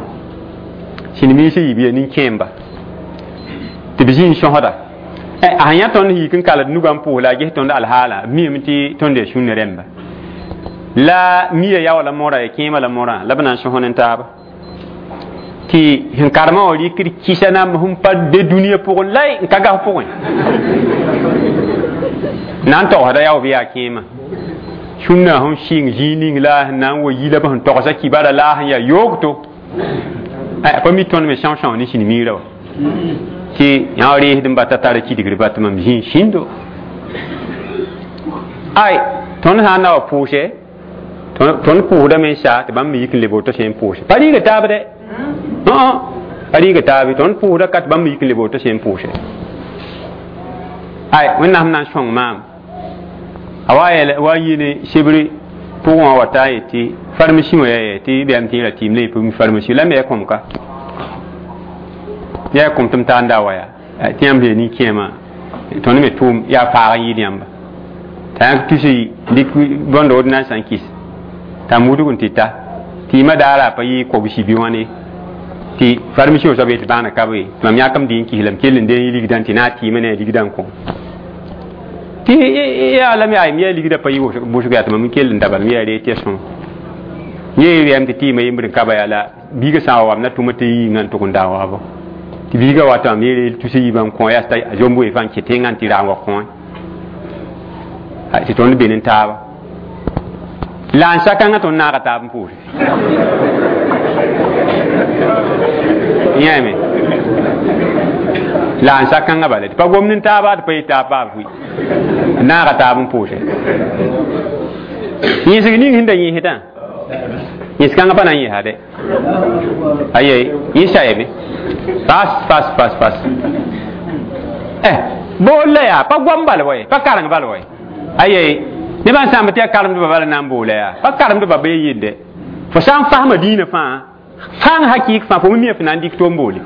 sĩnemiisã yiib yaa nin-kẽemba tɩ b zĩ n sõsda a sẽn yã tõnd yik n kald nugã n pʋʋs la a ges tõnd alhaala b miime tɩ tõnd yaa sũnna rẽmba la mia yaoɔ la morã ya kẽemã la morã la b na n sõs ne taaba tɩ sẽn karemã wã rɩkd kɩsa nam sẽn pa be dũniyã pʋgẽ la n ka gas pʋgẽ na n togsda yao bɩ yaa kẽemã sũnna sẽn sɩng zĩig ning la sẽn na n wa yi la b sẽn togsa kibara la sẽn yaa yoogto pa mi tõnd me sõs-sõs ne sĩn-miirã wa tɩ yã reesd n bata tara kidgr ba tɩ mam zĩig sĩndo ay tõnd sã n na wa pʋʋse tõnd pʋʋsdame n sa tɩ bãmb me yik n leb woto sẽn pʋʋse pa rɩɩga taab dɛ pa rɩɩga taabe tõnd pʋʋsda ka tɩ bãmb me yik n leb woto sẽn pʋʋse ay wẽnnaam na n sõng maam a wa yɛl wa yi ne sebre pʋgẽ wã wa taa yetɩ farmasi wã yaa tɩ bɛm tɩ ra tɩɩm la yɩ farmasi la me ya kõm ka yaa kõm tɩ m taa n da wa yaa tɩ yãmb sẽn nin-kẽemã tõnd me tʋʋm yaa faag n yɩɩd yãmba t'a yãk tusi dɩk bõnd ordonnance n kɩs t'a mudg n tɩ ta tɩ yɩmã daara pa yɩ kobsi bɩ wãne tɩ farmasi wã soab yetɩ bãana ka be tɩ mam yãkam dɩ n kis la m kell n dee ligdã tɩ na tɩɩmã ne a ligdã n kõ tɩ yaa la me ay m yaa ligdã pa yɩ bʋsg yaa tɩ mam n kell n da bala m yaa ree tɩ ya sõma yẽ rɛm tɩ tɩɩmã yembr n ka ba yaa la biigã sã n wa wam na tʋma tɩ yĩngã n tʋg n da waabo tɩ biigã wa tɩ mam yee tus yiibã n kõ yaa t'a zomb wee fãa n kɩ tẽngã n tɩ raam wa kõ tɩ tõnd be ne taaba la n sakãngã tõnd naaga taab n pʋʋse yãame la n sakãngã bala tɩ pa gomd n taaba tɩ pa yɩ taab paab fʋi naaga taab n pʋʋse yẽsg ning sẽn da yẽsdã yẽs-kãngã pa na n yẽsa dɛ aye yẽ sayame fas fas fas fas eh bool la yaa pa goam bal wa ye pa kareng bal wa ye aye nebã n sãamb tɩ yaa karemdbã bala na n boola yaa pa karemdbã bee yelde fo sã n fasma dĩinã fãa fãng hakɩɩk fãa fo me mia fo na n dɩk tom boole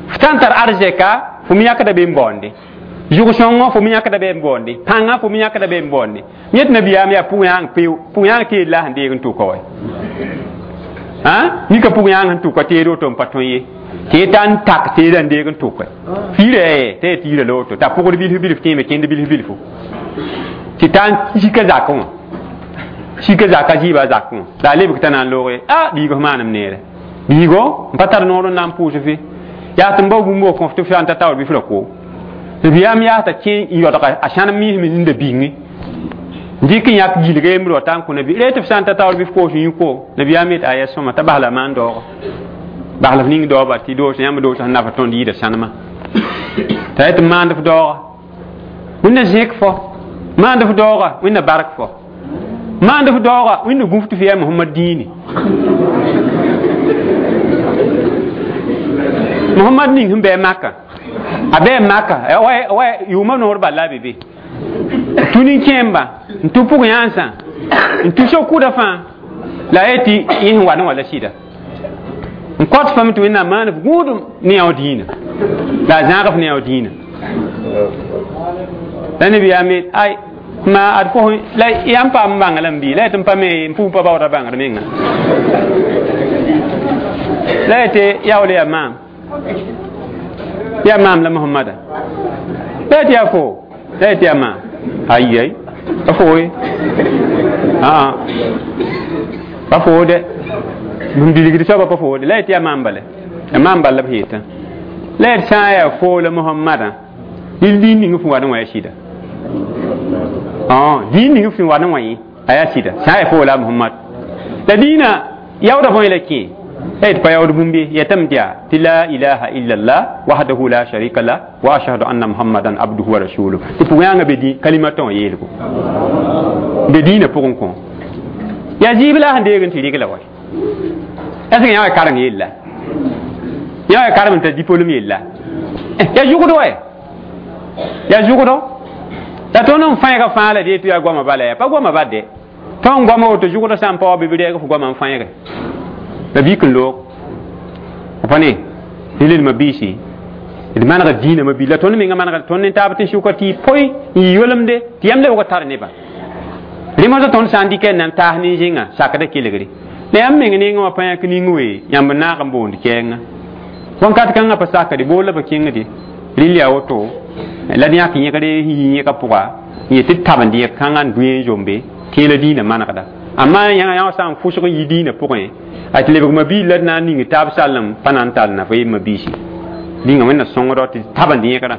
f sã n tar arzɛka fo me yãkda be n baoonde zʋg-sõngõ fo me yãkda be n baoonde pãngã fo me yãkda be n baoonde yẽ tɩ nabiyaam yaa pʋg-yãang peo pʋg-yãang teed la sẽn deeg n tʋka wa nika pʋg-yãang sẽn tʋka teed woto n pa tõe ye tɩ y ta n tak teedã n deeg n tʋka fiirã yaa t'a yaa tiirã la woto t'a pʋgd bilf bilf tẽeme kẽnd bilf bilfu tɩ ta n sika zakẽ wã sika zaka zɩɩba zakẽ wã la a lebg t'a na n looge a biig f maanem neere biigo n pa tar noor n na n pʋʋs fe yaa tɩ n bao bũmb wa kõf tɩ f sã n ta taoor bɩ f ra koo nabiyaam yaa t'a kẽ n yodga a sãnem miisme ninda bĩnge n dɩk n yãk gilga yembr wa ta n kõ nabi ree tɩ f sã n ta taoor bɩ f koos n yũ koo nabiyaam yet a yaa sõma t'a bas la maan daooga bas la f ning daooba tɩ doos yãmb doos sẽn nafa tõnd yɩɩda sãnema t'a yet n maand f daooga wẽnna zẽk fo maand f daooga wẽnna bark fo maand f daooga wẽnna gũf tɩ f yaa Mohamad dĩini Mohamad ning sẽn bɩ Maka a bɩ Maka wa yʋʋmã noor bal la a be be tũ nin-kẽemba n tũ pʋg-yãnsã n tũ so-kʋda fãa la a yetɩ yẽ sẽn wa ne wã la sɩda n kõt fame tɩ wẽnnaam maan f gũudum ne yão dĩinã la a zãag f ne yão dĩinã la nabiyaam yet ay ma ad fo la yãmb paam n bãnga lame bɩ la yetɩ n pa me n pʋʋ pa baooda bãngd menga la yetɩ yaool yaa maam yaa maam la Mohamada la yetɩ yaa fo la yetɩ yaa maam ayi pa fo ye aa pa fo dɛ n bilgd soaba pa fo de la yetɩ yaa maam bala yaa maam bal la b yetã la yetɩ sã n yaa fo la Mohamada Dɩl dĩin ning fo wa ne wã yaa sɩda. Dĩin ning fo wa ne wã yẽ a yaa sɩda. Sã n yaa fo la Muhammad. La dĩinã yaoodã bõe la kẽ d pa yaood bũmb ye yetame tɩ yaa tɩ la ilaha illallah wahdahu la sharika lah wa ashhadu anna muhammadan abduhu wa rasuluhu tɩ pʋg yãnga be dĩ kalimatã wã yeelgo be dĩinã pʋgẽ kõ yaa zɩɩb la a sẽn deeg n tɩ rɩg la wa est ce que yã wa kareng yella yã wa karem n tar diplôme yella yaa zʋgd wa yaa zʋgdo la tõnd n fãeega fãa la dee tɩ yaa goamã bala yaa pa goamã bal de tõnd goama woto zʋgdã sã n pa wa bɩ b rɛɛg f goamã n fãeege la vik n loog pa ne rel mabiisi d manegd dĩinã mabi la tõnd menga manegd tõnd ne taab tɩ sʋka tɩ poe n yɩ yolemde tɩ yãmb lebg tar nebã rẽ tõnd sã n dɩk n na n taas nin-zẽnga sakda kelgre la yãmb meng nengã wã pa yãk ning we yãmb n naag n boond kɛɛngã wãnkat kãngã pa sakde bool la pa kẽngde rɩl yaa woto la d yãk yẽgre yi yẽka pʋga n yet tɩ tabend yẽk kãngã n dʋ n zombe tẽ la dĩinã manegda amma yãnga yã sã n fʋsg n yi dĩinã pʋgẽ a tɩ lebg mabiir la d na n ning taab sallem pa na n tall na fo yem mabiisi dĩnga wẽnna sõngdɔ tɩ tabend yẽgrã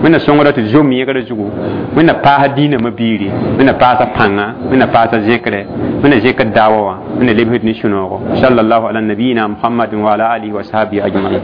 wẽnna sõngdɔ tɩ zom yẽgrã zugu wẽnna paasa dĩinã mabiiri wẽnna paasa pãnga wẽnna paasa zẽkre wẽnna zẽkd daawa wã wẽnna lebsd ne sũ-noogo sallallahu ala nabiyina muhammadin wa ala alihi wa sahbihi ajmain.